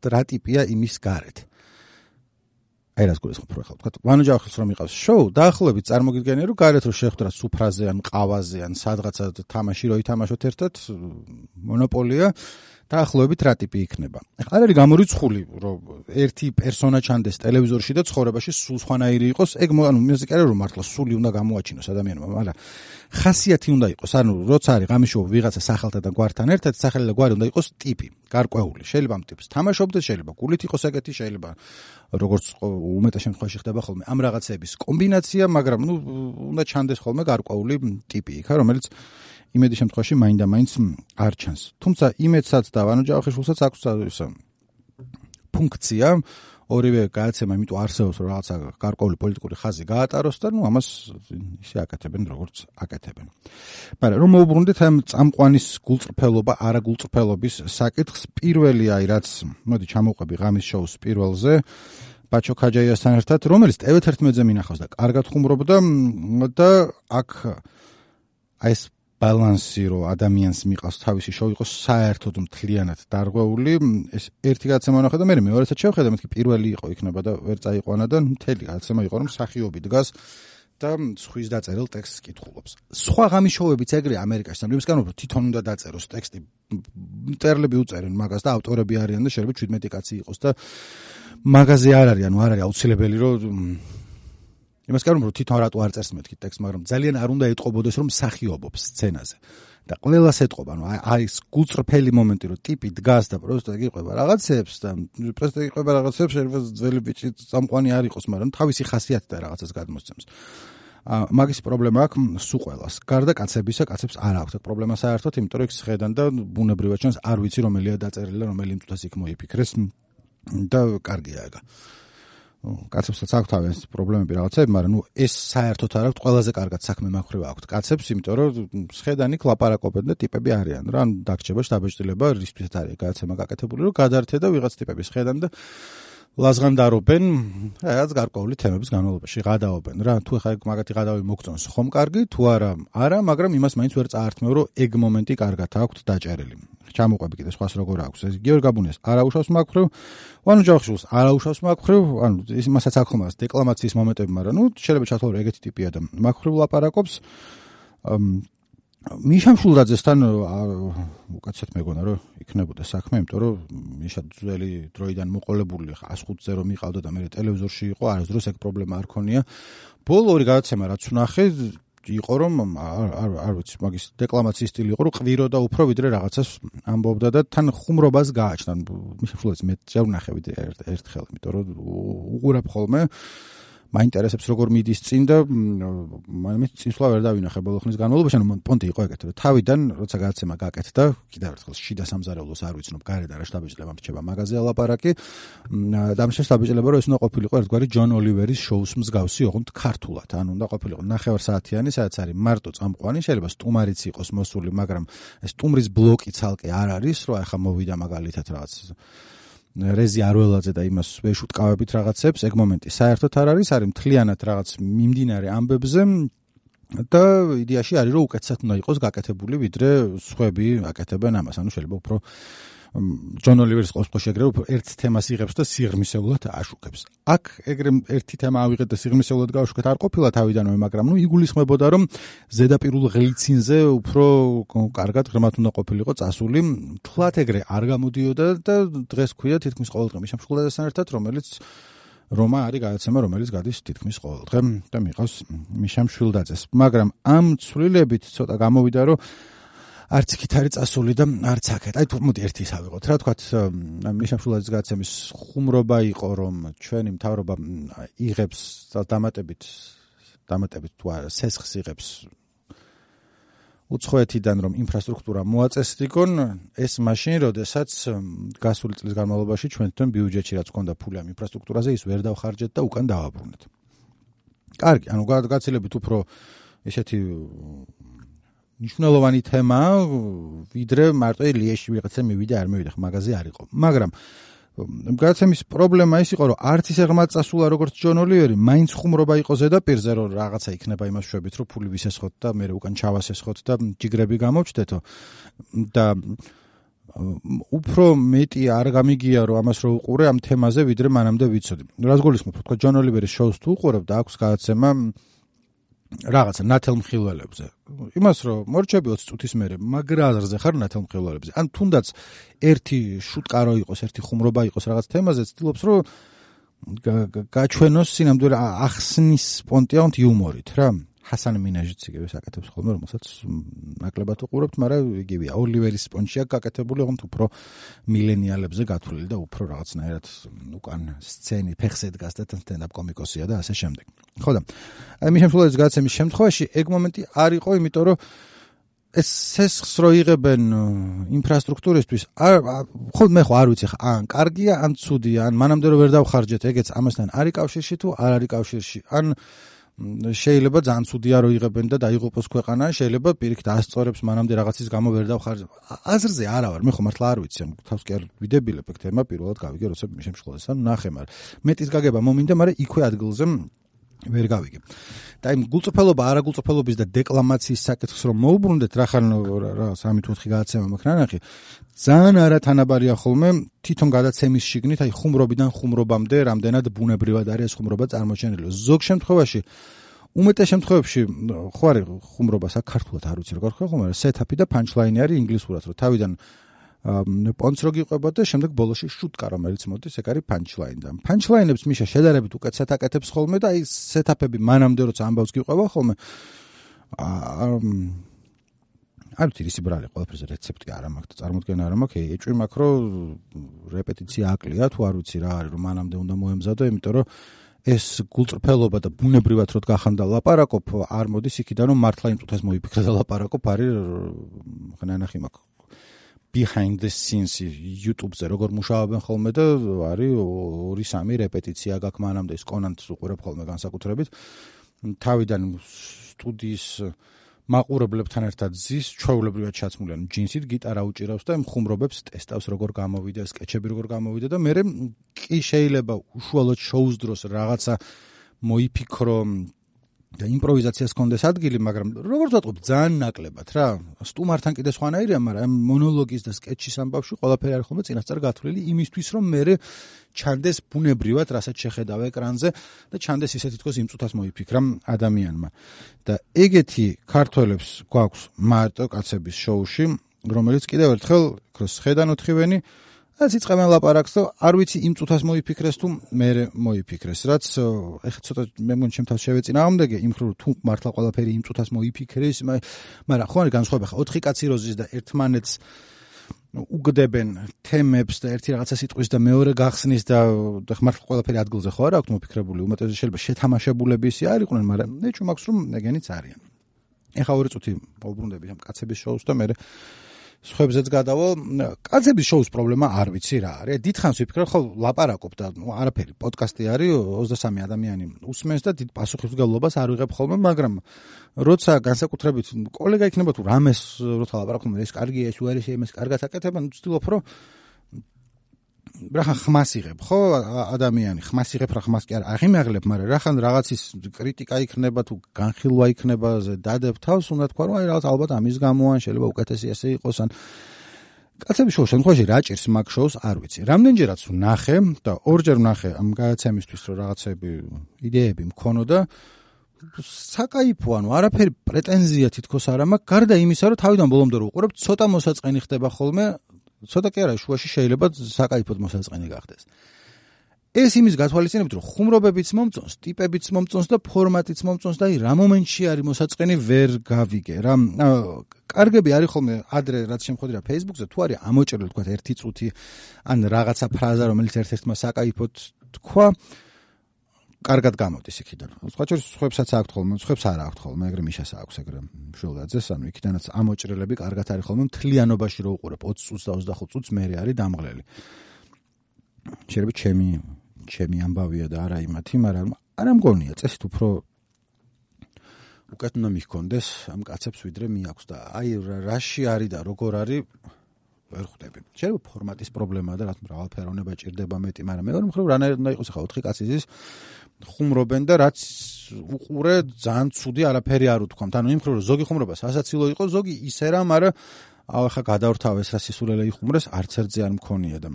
რა ტიპია იმის გარეთ. აი რას გულისხმობ ხო ხალხო. ვანო ჯავახის რომ იყავს შოუ, დაახლოებით წარმოგიდგენია რომ გარეთ რომ შეხვდრა სუფრაზე ან ყავაზე ან სადღაცა თამაში რო ითამაშოთ ერთად, მონოპოლია დაახლოებით რა ტიპი იქნება. ახლა არ არის გამორიცხული რომ ერთი პერსონა ჩანდეს ტელევიზორში და ცხოვრებაში სულ სხვანაირი იყოს, ეგ ანუ იმაზე კი არა რომ მართლა სული უნდა გამოაჩინოს ადამიანმა, მაგრამ ხასიათი უნდა იყოს, ანუ როცა არის ღამის შოუ ვიღაცა სახელთა და გვართან ერთად, სახელი და გვარი უნდა იყოს ტიპი, გარკვეული. შეიძლება ამ ტიპს თამაშობდეს, შეიძლება გულით იყოს ეგეთი, შეიძლება როგორც უმეტეს შემთხვევაში ხდება ხოლმე ამ რაღაცების კომბინაცია, მაგრამ უნდა ჩანდეს ხოლმე გარკვეული ტიპი იქა, რომელიც იმედი შემთხვევაში მაინდა-მაინც არ ჩანს. თუმცა იმედსაც და ვანო ჯავახიშვილსაც აქვს ისე ფუნქცია, ორივე გადაცემა იმიტომ არსებობს, რომ რაღაცა გარკვეული პოლიტიკური ხაზი გაატაროს და ამას ისე აკეთებენ, როგორც აკეთებენ. მაგრამ რომ მოვუბრუნდეთ ამ წამყვანის გულწრფელობა, არაგულწრფელობის საკითხს, პირველი აი რაც, მოდი ჩამოვყვები ღამის შოუს პირველზე, ბაჩო ქაჯაიასთან ერთად, რომელიც TV11-ზე მინახავს და კარგად ხუმრობდა და აქ აი ეს ბალანსი რომ ადამიანს მიყავს თავისი შოუ იყოს საერთოდ მთლიანად დარღვეული, ეს ერთი გადაცემა ნახე და მე მეორესაც შევხედე, მეთქი პირველი იყო იქნება და ვერ წაიყვანა და მთელი გადაცემა იყო რომ მსახიობი დგას და სხვის დაწერილ ტექსტს კითხულობს. სხვა ღამის შოუებიც ეგრე ამერიკაში, ამის გამო რომ თვითონ უნდა დაწეროს ტექსტი, მწერლები უწერენ მაგას და ავტორები არიან და შეიძლება 17 კაცი იყოს და მაგაზე არ არის, ანუ არ არის აუცილებელი რომ იმას კარგად რომ თვითონ რატო არ წერს მეთქი ტექსტს, მაგრამ ძალიან არ უნდა ეტყობოდეს რომ მსახიობობს სცენაზე. და ყველას ეტყობა, ანუ აი ეს გულწრფელი მომენტი რომ ტიპი დგას და პროსტა გიყვება რაღაცებს და პროსტა გიყვება რაღაცებს, შეიძლება ძველი ბიჭი წამყვანი არ იყოს, მაგრამ თავისი ხასიათი და რაღაცას გადმოსცემს. მაგის პრობლემა აქვს სულ ყველას. გარდა კაცებისა, კაცებს არ აქვს აქ პრობლემა საერთოდ, იმიტომ რომ იქ შეხედან და ბუნებრივად ჩანს არ ვიცი რომელია დაწერილი და რომელი მწუთას იქ მოიფიქრეს და კარგია ეგა. კაცებსაც აქვს თავის პრობლემები რაღაცები, მაგრამ ეს საერთოდ არ აქვს, ყველაზე კარგად საქმე მახვრივა აქვს კაცებს, იმიტომ რომ შეხედანი ლაპარაკობენ და ტიპები არიან რა, ანუ დაგჭება შთაბეჭდილება რისთვისაც არის გადაცემა გაკეთებული, რომ გადაერთე და ვიღაც ტიპები შეხედან და ლაზღანდარობენ რაღაც გარკვეული თემების განმავლობაში, გადაობენ რა, თუ ხა მაგათი გადავი მოგწონს ხომ კარგი, თუ არა, მაგრამ იმას მაინც ვერ წაართმევ, რომ ეგ მომენტი კარგად აქვს დაჭერილი. ჩამოყვები კიდე სხვას როგორ აქვს. ეს გიორგი გაბუნიას არაუშავს მაგხრივ, ვანო ჯავახიშვილს არაუშავს მაგხრივ, ანუ იმასაც აქვს ხომ დეკლამაციის მომენტები, მაგრამ შეიძლება ჩათვალო რომ ეგეთი ტიპია და მაგხრივ ლაპარაკობს. მიშა მშულდაძესთან უკაცეთ მეგონა რომ იქნებოდა საქმე, იმიტომ რომ მიშა ძველი დროიდან მოყოლებული 105-ზე რომ მიყავდა და მე ტელევიზორში იყო, არასდროს ეგ პრობლემა არ ქონია. ბოლო ორი გადაცემა რაც ვნახე იყო რომ არ ვიცი, მაგის დეკლამაციის სტილი იყო რომ ყვირო და უფრო ვიდრე რაღაცას ამბობდა და თან ხუმრობას გააჩნდა. მიშა მშულდაძე მე ჯერ ვნახე ერთხელ, იმიტომ რომ უყურებ ხოლმე მაინტერესებს როგორ მიდის წინ და მე წინსვლა ვერ დავინახე ბოლო ხნის განმავლობაში, ანუ პონტი იყო ეგეთი, რომ თავიდან როცა გადაცემა გაკეთდა, კიდევ ერთხელ შიდა სამზარეულოს არ ვიცნობ, გარეთ არა შტაბეჭდილება მრჩება მაგაზე ალაპარაკი და ამ შტაბეჭდილება რომ ეს უნდა ყოფილიყო ერთგვარი ჯონ ოლივერის შოუს მსგავსი, ოღონდ ქართულად, ანუ უნდა ყოფილიყო 9 საათიანი, სადაც არის მარტო წამყვანი, შეიძლება სტუმარიც იყოს მოსული, მაგრამ ეს სტუმრის ბლოკი ცალკე არ არის, რომ ახლა მოვიდა მაგალითად რაღაც რეზი არველაძე და იმას ვეშუტკავებით რაღაცებს, ეგ მომენტი საერთოდ არ არის მთლიანად რაღაც მიმდინარე ამბებზე და იდეაში არის რომ უკეთესად უნდა იყოს გაკეთებული ვიდრე სხვები აკეთებენ ამას, ანუ შეიძლება უფრო ჯონ ოლივერის ყოველთვის შეგრე უფრო ერთ თემას იღებს და სიღრმისეულად აშუქებს. აქ ეგრე ერთი თემა ავიღეთ და სიღრმისეულად გავაშუქეთ არ ყოფილა თავიდანვე, მაგრამ იგულისხმებოდა რომ ზედაპირულ ღლიცინზე უფრო კარგად ღრმად უნდა ყოფილიყო წასული. თლათ ეგრე არ გამოდიოდა და დღეს ქვია თითქმის ყოველდღე მიშამშულაძესთან ერთად, რომელიც რომა არის გადაცემა, რომელიც გადის თითქმის ყოველდღე და მიყავს მიშამშულაძეს. მაგრამ ამ ცვლილებით ცოტა გამოვიდა რომ არც იქით არის წასული და არც აქეთ. აი თუ მოდი ერთი ის ავიღოთ. რა თქვათ, მიშამშულაძის გადაცემის ხუმრობა იყო, რომ ჩვენი მთავრობა იღებს დამატებით თუ სესხს იღებს უცხოეთიდან, რომ ინფრასტრუქტურა მოაწესრიგონ, ეს მაშინ, როდესაც გასული წლის განმავლობაში ჩვენთან ბიუჯეტში რაც ჰქონდა ფული ამ ინფრასტრუქტურაზე, ის ვერ დავხარჯეთ და უკან დავაბრუნეთ. კარგი, ანუ გაცილებით უფრო ესეთი ნიშნულოვანი თემა, ვიდრე მარტო ლიეში ვიღაცა მივიდა, არ მივიდა, მაგაზე არ იყო. მაგრამ გადაცემის პრობლემა ის იყო, რომ არც ისე ღრმად წასულა როგორც ჯონ ოლივერი, მაინც ხუმრობა იყო ზედაპირზე, რომ რაღაცა იქნება იმას შვებით, რომ ფული ვისესხოთ და მე უკან ჩავასესხოთ და ჯიგრები გამოვჩდეთო და უფრო მეტი არ გამიგია, რომ ამას რო უყურე ამ თემაზე, ვიდრე მანამდე ვიცოდი. რას გულისხმობ, თქვა ჯონ ოლივერის შოუს თუ უყურებ და აქვს გადაცემა რაღაცა ნათელმხილველებზე. იმას რომ მორჩები 20 წუთის მერე მაგრა აზრზე ხარ ნათელმხილველებზე. ან თუნდაც ერთი შუტკარო იყოს, ერთი ხუმრობა იყოს რაღაც თემაზე, ცდილობს რომ გაჩვენოს სინამდვილე ახსნის პონტიაუნთ იუმორით რა. ჰასან მინაჟიც იგივე აკეთებს ხოლმე, რომელსაც ნაკლებად უყურებთ, მაგრამ იგივეა. ოლივერის პონჩია გაკეთებული, ოღონდ უფრო მილენიალებზე გათვლილი და უფრო რაღაცნაირად უკან სცენი ფეხზე დგას და სტენდაპ კომიკოსია და ასე შემდეგ. ხო და აი მიშამშულაძის გადაცემის შემთხვევაში ეგ მომენტი არ იყო, იმიტომ რომ ეს სესხს რო იღებენ ინფრასტრუქტურისთვის, ხო მე ხო არ ვიცი ხა, ან კარგია, ან ცუდია, ან მანამდე რო ვერ დავხარჯეთ, ეგეც ამასთან არის კავშირში თუ არ არის კავშირში, ან შეიძლება ძალიან ცუდია რო იღებენ და დაიღუპოს ქვეყანა, შეიძლება პირიქით ასწორებს მანამდე რაღაცის გამო ვერ დავხარჯე. აზრზე არა ვარ, მე ხო მართლა არ ვიცი, თავს კი არ ვიდებილებ ეგ თემა, პირველად გავიგე, როცა მიშამშულაძესთან ნახე, მაგრამ მეტის გაგება მომინდა, მაგრამ იქვე ადგილზე ვერ გავიგე. და იმ გულწრფელობა, არაგულწრფელობის და დეკლამაციის საკითხს რომ მოუბრუნდეთ, რახან რა 3-4 გადაცემა მაქვს ნანახი, ძალიან არათანაბარია ხოლმე თვითონ გადაცემის შიგნით, აი ხუმრობიდან ხუმრობამდე რამდენად ბუნებრივად არის ეს ხუმრობა წარმოჩენილი. ზოგ შემთხვევაში, უმეტეს შემთხვევებში, ხო არის ხუმრობა საქართველოს არ ვიცი როგორ ხომ, მაგრამ სეტაპი და პანჩლაინი არის ინგლისურად, რომ თავიდან პონც რო გიყვება და შემდეგ ბოლოში შუტკა რომელიც მოდის, ეგ არის პანჩლაინი და პანჩლაინებს მიშა შედარებით უკეთესად აკეთებს ხოლმე და აი სეტაპები მანამდე როცა ამბავს გიყვება ხოლმე არ ვიცი ისი ბრალი ყველაფერზე რეცეპტი არ მაქვს და წარმოდგენა არ მაქვს, ეჭვი მაქვს რომ რეპეტიცია აკლია თუ არ ვიცი რა არის რომ მანამდე უნდა მოემზადო, იმიტომ რომ ეს გულწრფელობა და ბუნებრივად რო გახანდა ლაპარაკობ არ მოდის იქიდან რომ მართლა იმ წუთას მოიფიქრე და ლაპარაკობ არის ხნანახი მაქვს behind the scenes YouTube-ზე როგორ მუშაობენ ხოლმე და არის 2-3 რეპეტიცია გაქვს მანამდე ის კონანტს უყურებ ხოლმე განსაკუთრებით თავიდან სტუდიის მაყურებლებთან ერთად ზის ჩვეულებრივად ჩაცმული ან ჯინსით გიტარა უჭირავს და ხუმრობებს ტესტავს როგორ გამოვიდა სკეჩები როგორ გამოვიდა და მე კი შეიძლება უშუალოდ შოუს დროს რაღაცა მოიფიქრო და იმპროვიზაციას კონდეს ადგილი, მაგრამ როგორც ვატყობ, ძალიან ნაკლებად რა. სტუმართან კიდე სხვანაირია, მაგრამ მონოლოგის და სკეჩის ამბავში ყველაფერი არის ხოლმე წინასწარ გათვლილი იმისთვის, რომ მე ჩანდეს ბუნებრივად, რასაც შეხედავ ეკრანზე და ჩანდეს ისე თითქოს იმ წუთას მოიფიქრა ადამიანმა. და ეგეთი ქართველებს გვაქვს მარტო კაცების შოუში, რომელიც კიდევ ერთხელ ხედან ოთხივენი რაც იწყებენ ლაპარაკს და არ ვიცი იმ წუთას მოიფიქრეს თუ მე მოიფიქრეს, რაც ეხლა ცოტა მე მგონი ჩემ თავს შევეწინა ამდეგე იმ ხრო თუ მართლა ყველაფერი იმ წუთას მოიფიქრეს, მაგრამ ხო არის განსხვავება ხა 4 კაცი როზის და ერთმანეთს უგდებენ თემებს და ერთი რაღაცა სიტყვის და მეორე გახსნის და მართლა ყველაფერი ადგილზე ხო არ აქვს მოფიქრებული, უმეტესად შეიძლება შეთამაშებულები ისე არ იყვნენ, მაგრამ ეჭვი მაქვს რომ ეგენიც არიან. ეხლა 2 წუთი მოუბრუნდები ამ კაცების შოუს და მე სხვებზეც გადავალ, კაცების შოუს პრობლემა არ ვიცი რა არის. დიდხანს ვიფიქრე, ხო ლაპარაკობ და არაფერი, პოდკასტი არის, 23 ადამიანი უსმენს და დიდ პასუხისმგებლობას არ ვიღებ ხოლმე, მაგრამ როცა განსაკუთრებით კოლეგა იქნება თუ რამეს როცა ლაპარაკობ, ეს კარგია, ეს უარესია, იმას კარგად აკეთებენ, ვცდილობ რომ რახან ხმას იღებ, ხო, ადამიანი ხმას იღებ, რა ხმას კი არ აღიმაღლებ, მაგრამ რახან რაღაცის კრიტიკა იქნება თუ განხილვა იქნება, დადებ თავს, უნდა თქვა, რომ აი რაღაც ალბათ ამის გამო ან შეიძლება უკეთესი ესე იყოს, ან კაცების შოუს შემთხვევაში რა ჭირს მაგ შოუს არ ვიცი. რამდენჯერაც ვნახე და ორჯერ ვნახე ამ გადაცემისთვის, რომ რაღაცები იდეები მქონოდა, საკაიფო, ანუ არაფერი პრეტენზია თითქოს არ მაქვს, გარდა იმისა, რომ თავიდან ბოლომდე რო უყურებ, ცოტა მოსაწყენი ხდება ხოლმე, ცოტა კი არა, შუაში შეიძლება საკაიფოდ მოსაწყენი გახდეს. ეს იმის გათვალისწინებით, რომ ხუმრობებიც მომწონს, ტიპებიც მომწონს და ფორმატიც მომწონს და აი რა მომენტში არის მოსაწყენი ვერ გავიგე რა. კარგები არის ხოლმე ადრე რაც შემოხვედრა Facebook-ზე, თუ არის ამოჭრილი თქვა 1 წუთი ან რაღაცა ფრაზა, რომელიც ერთ-ერთმა საკაიფოდ თქვა, კარგად გამოდის იქიდან. სხვა შორის სხვებსაც აქვთ ხოლმე, სხვებს არ აქვთ ხოლმე, ეგრე მიშას აქვს ეგრე მშვილდაძეს, ანუ იქიდანაც ამოჭრილები კარგად არის ხოლმე, მთლიანობაში რო უყურებ 20 წუთს და 25 წუთს მერე არის დამღლელი. შეიძლება ჩემი ამბავია და არა იმათი, მაგრამ არა მგონია წესით უფრო უკეთ უნდა მიხონდეს ამ კაცებს ვიდრე მიაქვს და აი რაში არის და როგორ არის ვერ ხვდები. შეიძლება ფორმატის პრობლემაა და რაც მრავალფეროვნება ჭირდება მეტი, მაგრამ მეორე მხრივ რანაირად უნდა იყოს ახლა 4 კაცი ზის ხუმრობენ და რაც უყურე ძალიან ცუდი არაფერი არ უთქვამთ. ანუ იმ მხრივ რომ ზოგი ხუმრობა სასაცილო იყო, ზოგი ისე რა, მაგრამ ახლა გადავრთავეს რა სისულელე იხუმრეს, არც ერთზე არ მქონია და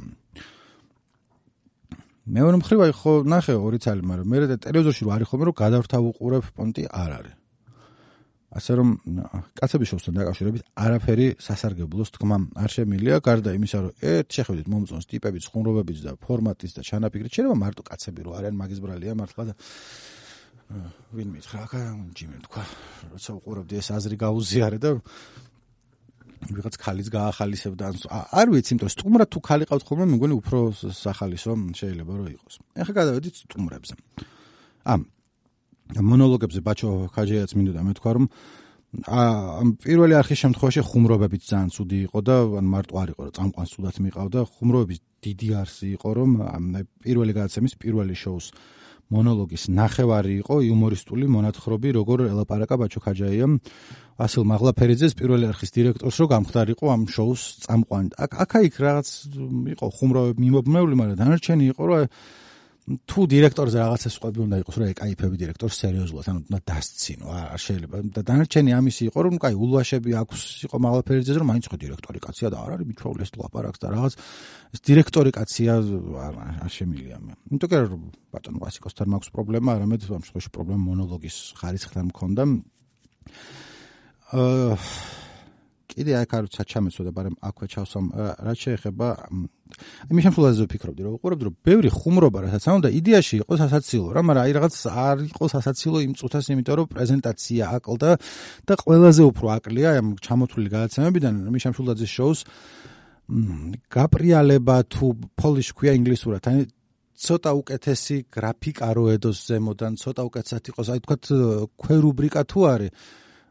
მეორე მხრივ აი ხო ნახე 2 წელი, მაგრამ მე ტელევიზორში რო არის ხოლმე რომ გადავრთავ უყურებ პონტი არ არის. ასე რომ კაცების შოუსთან დაკავშირებით არაფერი სასარგებლოს თქმა არ შემილია, გარდა იმისა რომ ერთ შეხედვით მომწონს ტიპებიც, ხუმრობებიც და ფორმატიც და ჩანაფიქრით, შეიძლება მარტო კაცები რო არიან მაგის ბრალია მართლა და ვინ მითხრა, ჯიმი თქვა, როცა უყურებდი ეს აზრი გაუზიარე და ვიღაც ხალიც გაახალისებდა, არ ვიცი, იმიტომ სტუმრად თუ ხალი ყავთ ხოლმე, მეგონი უფრო სახალისო შეიძლება რომ იყოს. ეხლა გადავედით სტუმრებზე. მონოლოგებზე ბაჩო ხაჯიაც მინდოდა მეთქვა, რომ ამ პირველი არხის შემთხვევაში ხუმრობებიც ძალიან ცუდი იყო და ან მარტო არ იყო, რომ წამყვანს ცუდად მიყავდა, ხუმრობების დიდი არსი იყო, რომ პირველი გადაცემის პირველი შოუს მონოლოგის ნახევარი იყო იუმორისტული მონათხრობი, როგორ ელაპარაკა ბაჩო ხაჯაიამ ვასილ მაღლაფერიძეს პირველი არხის დირექტორს, რომ გამხდარიყო ამ შოუს წამყვანი. აქა-იქ რაღაც იყო ხუმრობები მიმობნეული, მაგრამ დანარჩენი იყო, რომ თუ დირექტორზე რაღაცა სხვები უნდა იყოს, რომ ეკაიფები დირექტორს სერიოზულად, ანუ უნდა დასცინო, არ შეიძლება. და დანარჩენი ამისი იყო, რომ კაი ულვაშები აქვს იყო მაღლაფერიძეზე, რომ მაინც ხო დირექტორი კაცია და არ არის მიჩვეული ეს ლაპარაკს და რაღაც ეს დირექტორი კაცია არ შემილია მე. იმიტომ რომ ბატონო ვასიკოსთან მაქვს პრობლემა, არამედ ამ შემთხვევაში პრობლემა მონოლოგის ხარისხთან მქონდა. კიდე აქ არ ჩამეცოდა, მაგრამ აქვე ჩავსვამ, რაც შეეხება იმის შემთხვევაში ვფიქრობდი, რომ უყურებდი, რომ ბევრი ხუმრობა რასაც ანუ და იდეაში იყო სასაცილო რა, მაგრამ აი რაღაც არ იყო სასაცილო იმ წუთას, იმიტომ რომ პრეზენტაცია აკლდა და ყველაზე უფრო აკლია ამ ჩამოთვლილი გადაცემებიდან იმის შემთხვევაში შოუს გაპრიალება თუ polish ქვია ინგლისურად, აი ცოტა უკეთესი გრაფიკა რო ედოს ზემოდან, ცოტა უკეთესად იყოს, აი თქვათ ქვევრუბრიკა თუ არის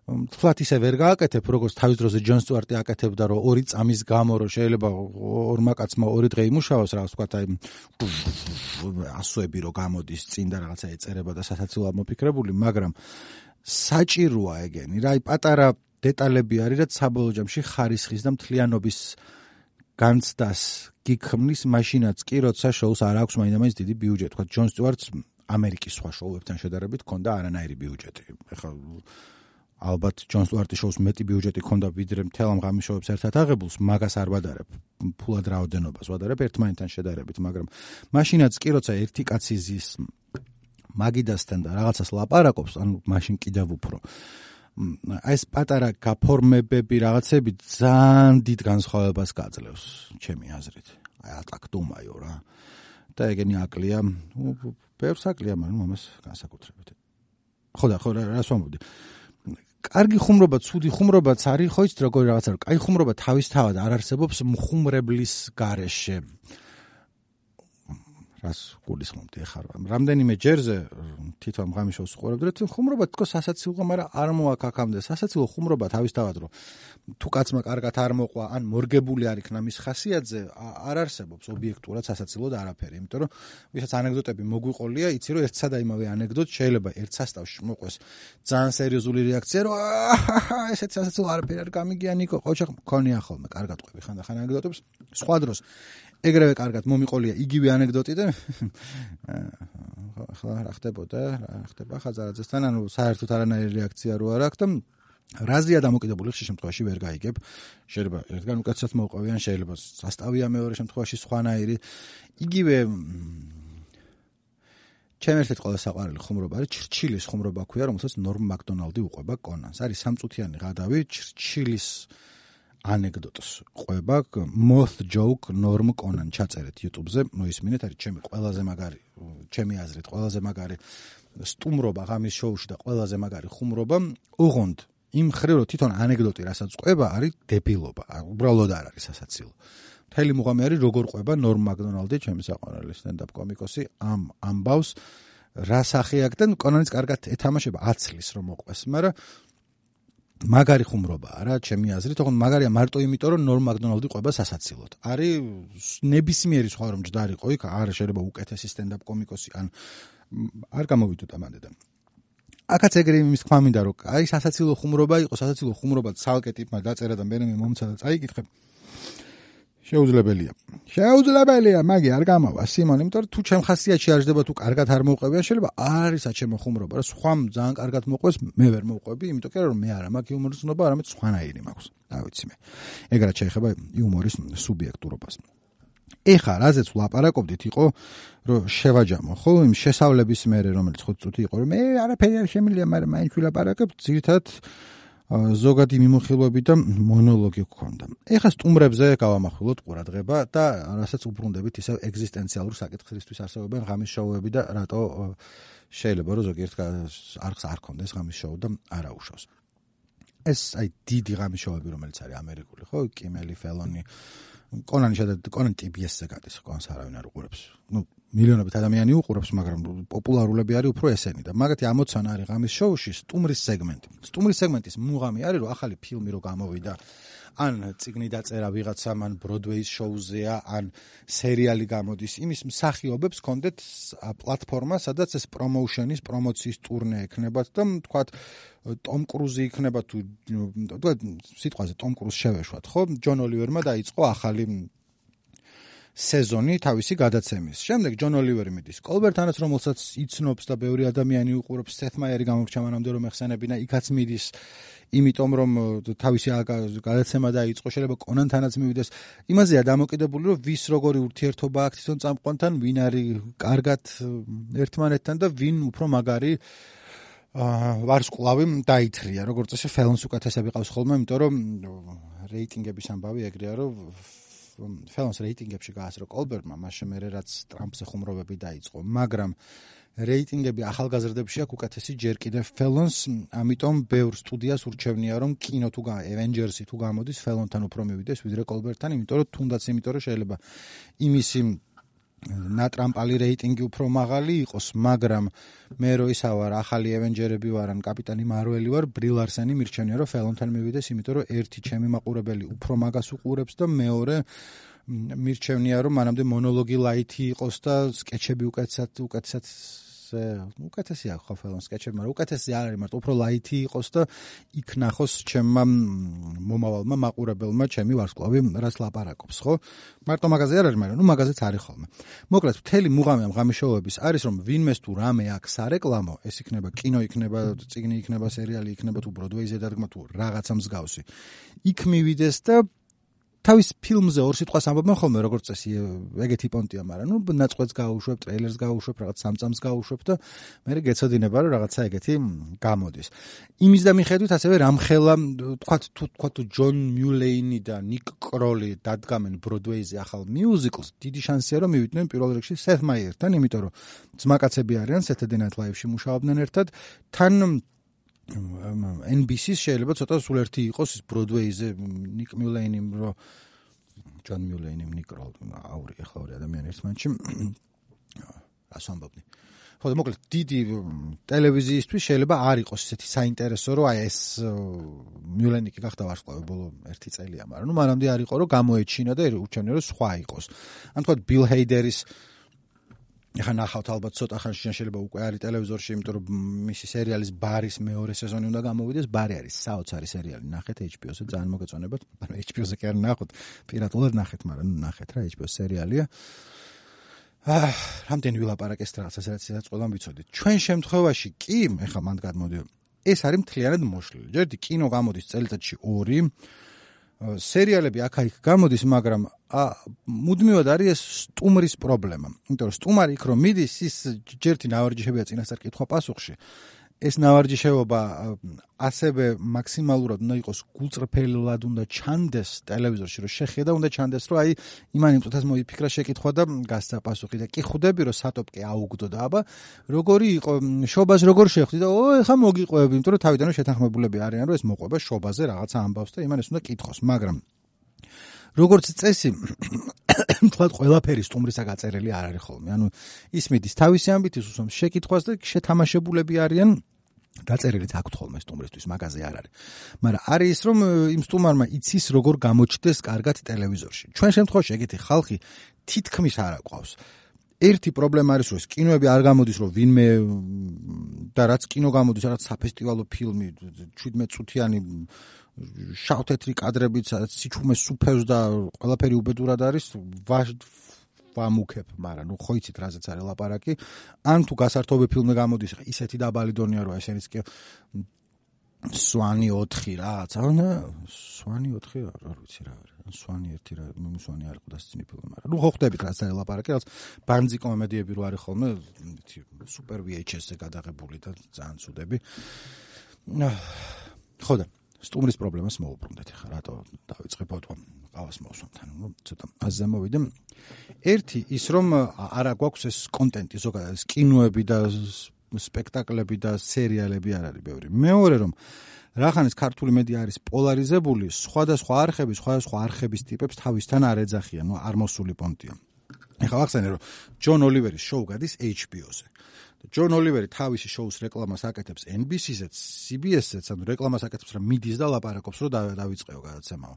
თლათ ისე ვერ გააკეთებ, როგორც თავის დროზე ჯონ სტუარტი აკეთებდა, რომ 2 წამის გამო რომ შეიძლება ორმა კაცმა 2 დღე იმუშაოს, რაღაც თქვა აი ასოები რომ გამოდის წინ და რაღაცა ეწერება და სასაცილოა მოფიქრებული, მაგრამ საჭიროა ეგენი. რა, აი პატარა დეტალები არის, რაც საბოლოო ჯამში ხარისხის და მთლიანობის განცდას გიქმნის, მაშინაც კი როცა შოუს არ აქვს მაინდა-მაინც დიდი ბიუჯეტი. თქვა ჯონ სტუარტს ამერიკის სხვა შოუებთან შედარებით ჰქონდა არანაირი ბიუჯეტი. ეხლა ალბათ ჯონ სტუარტის შოუს მეტი ბიუჯეტი ჰქონდა ვიდრე მთელ ამ ღამის შოუებს ერთად აღებულს, მაგას არ ვადარებ. ფულად რაოდენობას ვადარებ ერთმანეთთან შედარებით, მაგრამ მაშინაც კი როცა ერთი კაცი ზის მაგიდასთან და რაღაცას ლაპარაკობს, ანუ მაშინ კიდევ უფრო ეს პატარა გაფორმებები რაღაცები ძალიან დიდ განსხვავებას გაძლევს, ჩემი აზრით. აი ატაკტუმაიო რა. და ეგენი აკლია, ბევრს აკლია, მაგრამ ამას განსაკუთრებით. ხო, რას ვამბობდი? კარგი ხუმრობა, ცუდი ხუმრობაც არის, ხო იცით როგორი რაღაცა, რომ კაი ხუმრობა თავისთავად არ არსებობს მხუმრებლის გარეშე. რას გულისხმობდი ახლა? რამდენიმე ჯერზე თვითონ ღამის შოუს უყურებდი, რომ ხუმრობა თქო სასაცილო, მაგრამ არ მოაქვს აქამდე. სასაცილო ხუმრობა თავისთავად, რომ თუ კაცმა კარგად არ მოყვა, ან მორგებული არ იქნა მის ხასიათზე, არ არსებობს ობიექტურად სასაცილოდ არაფერი. იმიტომ რომ ვისაც ანეკდოტები მოგვიყოლია, იცი რომ ერთსა და იმავე ანეკდოტ შეიძლება ერთ სასტავში მოყვეს ძალიან სერიოზული რეაქცია, რომ ესეც სასაცილო არაფერი არ გამიგია ნიკო, ყოჩა მქონია ხოლმე, კარგად ყვები ხანდახან ანეკდოტებს. სხვა დროს ეგრევე კარგად მომიყოლია იგივე ანეკდოტი და ახლა რა ხდება ხაზარაძესთან, ანუ საერთოდ არანაირი რეაქცია რო არ აქვს და რაზეა დამოკიდებული ხშირ შემთხვევაში ვერ გაიგებ. შეიძლება ერთგან უკეთესად მოვყვევიან, შეიძლება სასტავია მეორე შემთხვევაში სხვანაირი. იგივე ჩემ ერთ-ერთი ყველა საყვარელი ხუმრობა არის ჩრჩილის ხუმრობა ქვია, რომელსაც ნორმ მაკდონალდი უყვება კონანს. არის სამწუთიანი ღადავი ჩრჩილის ანეკდოტს ყვება moth joke ნორმ კონან ჩაწერეთ YouTube-ზე, მოისმინეთ, არის ჩემი ყველაზე მაგარი, ჩემი აზრით ყველაზე მაგარი სტუმრობა ღამის შოუში და ყველაზე მაგარი ხუმრობა. ოღონდ იმ ხრივ რომ თვითონ ანეკდოტი რასაც ყვება არის დებილობა, უბრალოდ არ არის სასაცილო. მთელი მუღამი არის როგორ ყვება ნორმ მაკდონალდი, ჩემი საყვარელი სტენდაპ კომიკოსი ამ ამბავს რა სახე აქვს და კონანის კარგად ეთამაშება აცლის რომ მოყვეს, მაგრამ მაგარი ხუმრობაა რა ჩემი აზრით, თქო მაგარია მარტო იმიტომ რომ ნორმ მაკდონალდი ყვება სასაცილოდ. არის ნებისმიერი სხვა რომ ჯდარიყო იქ, არ შეიძლება უკეთესი სტენდაპ კომიკოსი ან არ გამოვიდოთ ამანდედან. აქაც ეგრე იმის თქმა მინდა რომ აი სასაცილო ხუმრობა იყო, სასაცილო ხუმრობა ცალკე ტიპმა დაწერა და მე მომცა და წაიკითხე. შეუძლებელია, მაგი არ გამავა სიმონ, იმიტომ რომ თუ ჩემ ხასიათში არ ჯდება თუ კარგად არ მოვყვებიან, შეიძლება არისა ჩემო ხუმრობა, რა სხვამ ძალიან კარგად მოყვეს, მე ვერ მოვყვები, იმიტომ რომ მე არა მაქვს იუმორის ცნობა, არამედ სხვანაირი მაქვს. რა ვიცი მე. ეგრად შეეხება იუმორის სუბიექტურობას. ეხა რაზეც ვლაპარაკობდით იყო რომ შევაჯამო, ხო, იმ შესავლების მერე რომელიც 5 წუთი იყო, რომ მე არაფერი არ შემიძლია, მაგრამ მაინც ვილაპარაკებ, ძირითადად ზოგადი მიმოხილვები და მონოლოგი გქონდა. ეხა სტუმრებზე გავამახვილოთ ყურადღება და რასაც უბრუნდებით ისევ ეგზისტენციალურ საკითხისთვის არსებობენ ღამის შოუები და რატო შეიძლება რომ ზოგიერთ არხს არ ქონდეს ღამის შოუ და არა უშავს. ეს აი დიდი ღამის შოუები რომელიც არის ამერიკული, ხო, კიმელი, ფელონი, კონან TBS-ზე გადის, კონს არავინ არ უყურებს. მილიონობით ადამიანი უყურებს, მაგრამ პოპულარულები არის უფრო ესენი და მაგათი ამოცანა არის ღამის შოუში სტუმრის სეგმენტი. სტუმრის სეგმენტის მუღამი არის რომ ახალი ფილმი რო გამოვიდა, ან წიგნი დაწერა ვიღაცამ, ან ბროდვეის შოუზეა, ან სერიალი გამოდის, იმის მსახიობებს კონდეთ პლატფორმა, სადაც ეს პრომოუშენის, პრომოციის ტურნე ექნებათ და თქვათ ტომ კრუზი იქნება თუ თქვათ სიტყვაზე ტომ კრუზ შევეშვათ, ხო? ჯონ ოლივერმა დაიწყო ახალი სეზონი თავისი გადაცემის. შემდეგ ჯონ ოლივერი მიდის კოლბერტანაც, რომელსაც იცნობს და ბევრი ადამიანი უყურებს, სეთ მაიერი გამორჩა მანამდე რომ ეხსენებინა, იქაც მიდის, იმიტომ რომ თავისი გადაცემა დაიწყო, შეიძლება კონანთანაც მივიდეს. იმაზეა დამოკიდებული, რომ ვის როგორი ურთიერთობა აქვს თვითონ წამყვანთან, ვინ არის კარგად ერთმანეთთან და ვინ უფრო მაგარი ვარსკვლავი დაითრია. როგორც წესი ფელონს უკეთესები ყავს ხოლმე, იმიტომ რომ რეიტინგების ამბავი ეგრეა, რომ ფელონს რეიტინგებში გაასრო კოლბერტმა, მაშინ მერე რაც ტრამპზე ხუმრობები დაიწყო, მაგრამ რეიტინგები ახალგაზრდებში აქვს უკეთესი ჯერ კიდევ ფელონს, ამიტომ ბევრ სტუდიას ურჩევნია რომ კინო თუ Avengers-ი თუ გამოდის ფელონთან უფრო მივიდეს ვიდრე კოლბერტთან, იმიტომ რომ თუნდაც იმიტომ რომ შეიძლება იმისი ნატრამპალი რეიტინგი უფრო მაღალი იყოს, მაგრამ მე რო ისა ვარ ახალი Avengers-ები ვარ ან კაპიტანი მარველი ვარ, ბრი ლარსენი მირჩენია რომ ფელონთან მივიდეს, იმიტომ რომ ერთი ჩემი მაყურებელი უფრო მაგას უყურებს და მეორე მირჩენია რომ მანამდე მონოლოგი ლაითი იყოს და სკეჩები უკეთესია ხო ფელონ სკეჩები, მაგრამ უკეთესი არ არის, მარტო უფრო ლაითი იყოს და იქ ნახოს ჩემმა მომავალმა მაყურებელმა ჩემი ვარსკვლავი რაც ლაპარაკობს, ხო? მარტო მაგაზე არ არის, მაგრამ მაგაზეც არის ხოლმე. მოკლედ, მთელი მუღამი ამ ღამის შოუების არის, რომ ვინმეს თუ რამე აქვს სარეკლამო, ეს იქნება კინო, იქნება წიგნი, იქნება სერიალი, იქნება თუ ბროდვეიზე დადგმა თუ რაღაცა მსგავსი. იქ მივიდეს და თავის ფილმზე ორ სიტყვას ამბობენ ხოლმე, როგორც წესი, ეგეთი პონტია, მაგრამ ნაწყვეტს გაუშვებ, ტრეილერს გაუშვებ, რაღაც სამწამს გაუშვებ და მე გეცოდინება, რომ რაღაცა ეგეთი გამოდის. იმის და მიხედვით ასევე რამხელა, თქვათ თუ ჯონ მიულეინი და ნიკ კროლი დადგამენ ბროდვეიზე ახალ მიუზიკლს, დიდი შანსია რომ მივიდნენ პირველ რიგში სეთ მაიერთან, იმიტომ რომ ძმაკაცები არიან, Saturday Night Live-ში მუშაობდნენ ერთად, თან NBC-ს შეიძლება ცოტა სულ ერთი იყოს ბროდვეიზე ნიკ მიულეინი რო ჯონ მიულეინი ნიკ კროლი აური ახლა ორი ადამიანი ერთმანეთში რას ამბობდი. ხო და მოკლედ დიდი ტელევიზიისთვის შეიძლება არ იყოს ესეთი საინტერესო რომ აი ეს მიულეინი კი გახდა ვარსკვლავი ბოლო 1 წელია, მაგრამ მანამდე არ იყო რომ გამოეჩინა და ურჩევნია რომ სხვა იყოს. ან თქვა ბილ ჰეიდერის ეხლა ნახავთ ალბათ ცოტა ხანში შეიძლება უკვე არის ტელევიზორში, იმიტომ რომ მისი სერიალის ბარის მეორე სეზონი უნდა გამოვიდეს. ბარი არის საოცარი სერიალი, ნახეთ HBO-ზე, ძალიან მოგეწონებათ. ანუ HBO-ზე კი არ ნახოთ, პირატულად ნახეთ, მაგრამ ნახეთ რა, HBO სერიალია. რამდენი ვილაპარაკეს რაღაცას, რაც ყველამ ვიცოდით. ჩვენ შემთხვევაში კი, ეხლა მანდ გადმოდი, ეს არის მთლიანად მოშლილი. ჯერდი კინო გამოდის წელიწადში 2, სერიალები აქა-იქ გამოდის, მაგრამ მუდმივად არის ეს სტუმრის პრობლემა. იმიტომ რომ სტუმარი იქ რომ მიდის, ის ჯერთი ნავარჯიშებია წინასწარ კითხვა პასუხში. ეს ნავარჯიშეობა ასევე მაქსიმალურად უნდა იყოს გულწრფელად უნდა ჩანდეს ტელევიზორში, რომ შეხედა უნდა ჩანდეს, რომ აი იმან იმწუთას მოიფიქრა შეკითხვა და გასცა პასუხი და კი ხვდები, რომ სატოპკე აუგდო და აბა როგორი იყო შობას როგორ შეხვდი და ეხა მოგიყვები, იმიტომ რომ თავიდანვე შეთანხმებულები არიან, რომ ეს მოყვება შობაზე რაღაცა ამბავს და იმან ეს უნდა კითხოს, მაგრამ როგორც წესი, თქვათ ყველაფერი სტუმრისა გაწერილი არ არის ხოლმე. ანუ ის მიდის თავისი ამბით უსვამს შეკითხვას და შეთამაშებულები არიან დაწერილიც აქვთ ხოლმე სტუმრისთვის, მაგაზე არ არის. მაგრამ არის ის, რომ იმ სტუმარმა იცის როგორ გამოჩნდეს კარგად ტელევიზორში. ჩვენ შემთხვევაში ეგეთი ხალხი თითქმის არ აყვავს. ერთი პრობლემა არის, რომ კინოები არ გამოდის, რომ ვინმე და რაც კინო გამოდის, რაღაც საფესტივალო ფილმი 17 წუთიანი შავ-თეთრი კადრებით, სიჩუმეს სუფევს და ყველაფერი უბედურად არის, ვამუქებ, მაგრამ ნუ ხო იცით რაზეც არის ლაპარაკი. ან თუ გასართობი ფილმი გამოდის, ისეთი დაბალი დონეა, რომ ესენიც კი სვანი 4 რაღაც, სვანი 4 არ ვიცი რა არის. სვანი 1 რა, სვანი არ იყო დასცინი ფილმი, მაგრამ ნუ ხო ხვდებით რაც არის ლაპარაკი, რაც ბანძი კომედიები რო არის ხოლმე, სუპერ VHS-ზე გადაღებული და ძალიან ცუდები. ხო და სტუმრის პრობლემას მოუბრუნდეთ ხა, რატო დავიწყე ფოტო ყავს მოსვამთან, ნუ ცოტა აზზე მოვიდე. ერთი ის რომ არა გვაქვს ეს კონტენტი ზოგადად, ეს კინოები და სპექტაკლები და სერიალები არ არის ბევრი. მეორე რომ რახანს ქართული მედია არის პოლარიზებული, სხვადასხვა არხების ტიპებს თავისთან არ ეძახიან, ნუ არ მოსული პონტია. ეხლა ახსენე რომ ჯონ ოლივერის შოუ გადის HBO-ზე. ჯონ ოლივერი თავისი შოუს რეკლამას აკეთებს NBC-ზეც, CBS-ზეც, ანუ რეკლამას აკეთებს რა მიდის და ლაპარაკობს რომ დავიწყეო გადაცემაო.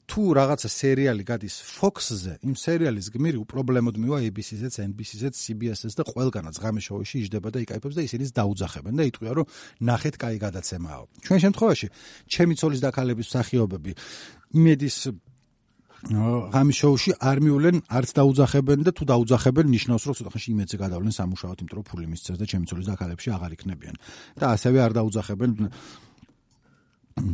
თუ რაღაცა სერიალი გადის Fox-ზე, იმ სერიალის გმირი უპრობლემოდ მივა ABC-ზეც, NBC-ზეც, CBS-ზეც და ყველგანაც ღამის შოუში იჯდება და იკაიფებს და ისინიც დაუძახებენ და იტყვიან რომ ნახეთ კაი გადაცემაო. ჩვენ შემთხვევაში ჩემი ცოლის დაქალების მსახიობები იმედის ღამის შოუში არ მივლენ, არც დაუძახებენ და თუ დაუძახებენ ნიშნავს რომ ცოტა ხანში იმედზე გადავლენ სამუშაოდ, იმიტომ რომ ფული მისცეს და ჩემი ცოლის დაქალებში აღარ იქნებიან. და ასევე არ დაუძახებენ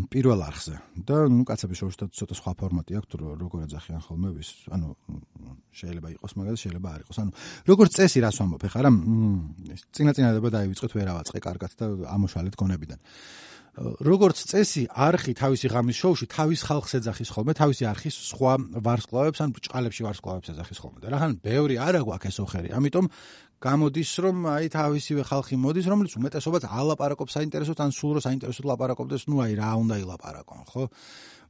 პირველ არხზე. და ნუ კაცების შოუში ცოტა სხვა ფორმატი აქვს, როგორ ეძახიან ხოლმე ვის, ანუ შეიძლება იყოს მაგაზე, შეიძლება არ იყოს. ანუ როგორც წესი რას ვამბობ, ეხლა რა წინაწინადება დაივიწყეთ, ვერავაწყე კარგად და ამოშალეთ გონებიდან. როგორც წესი, არხი თავისი ღამის შოუში თავის ხალხს ეძახის ხოლმე, თავისი არხის სხვა ვარსკვლავებს ან ბრჭყალებში ვარსკვლავებს ეძახის ხოლმე. და რახან ბევრი არა გვაქვს ეს ოხერი. ამიტომ გამოდის რომ აი თავისივე ხალხი მოდის, რომელიც უმეტესობაც ალაპარაკობს საინტერესოდ, ან სულ რო საინტერესოდ ლაპარაკობდეს, ნუ აი რა უნდა ილაპარაკონ, ხო?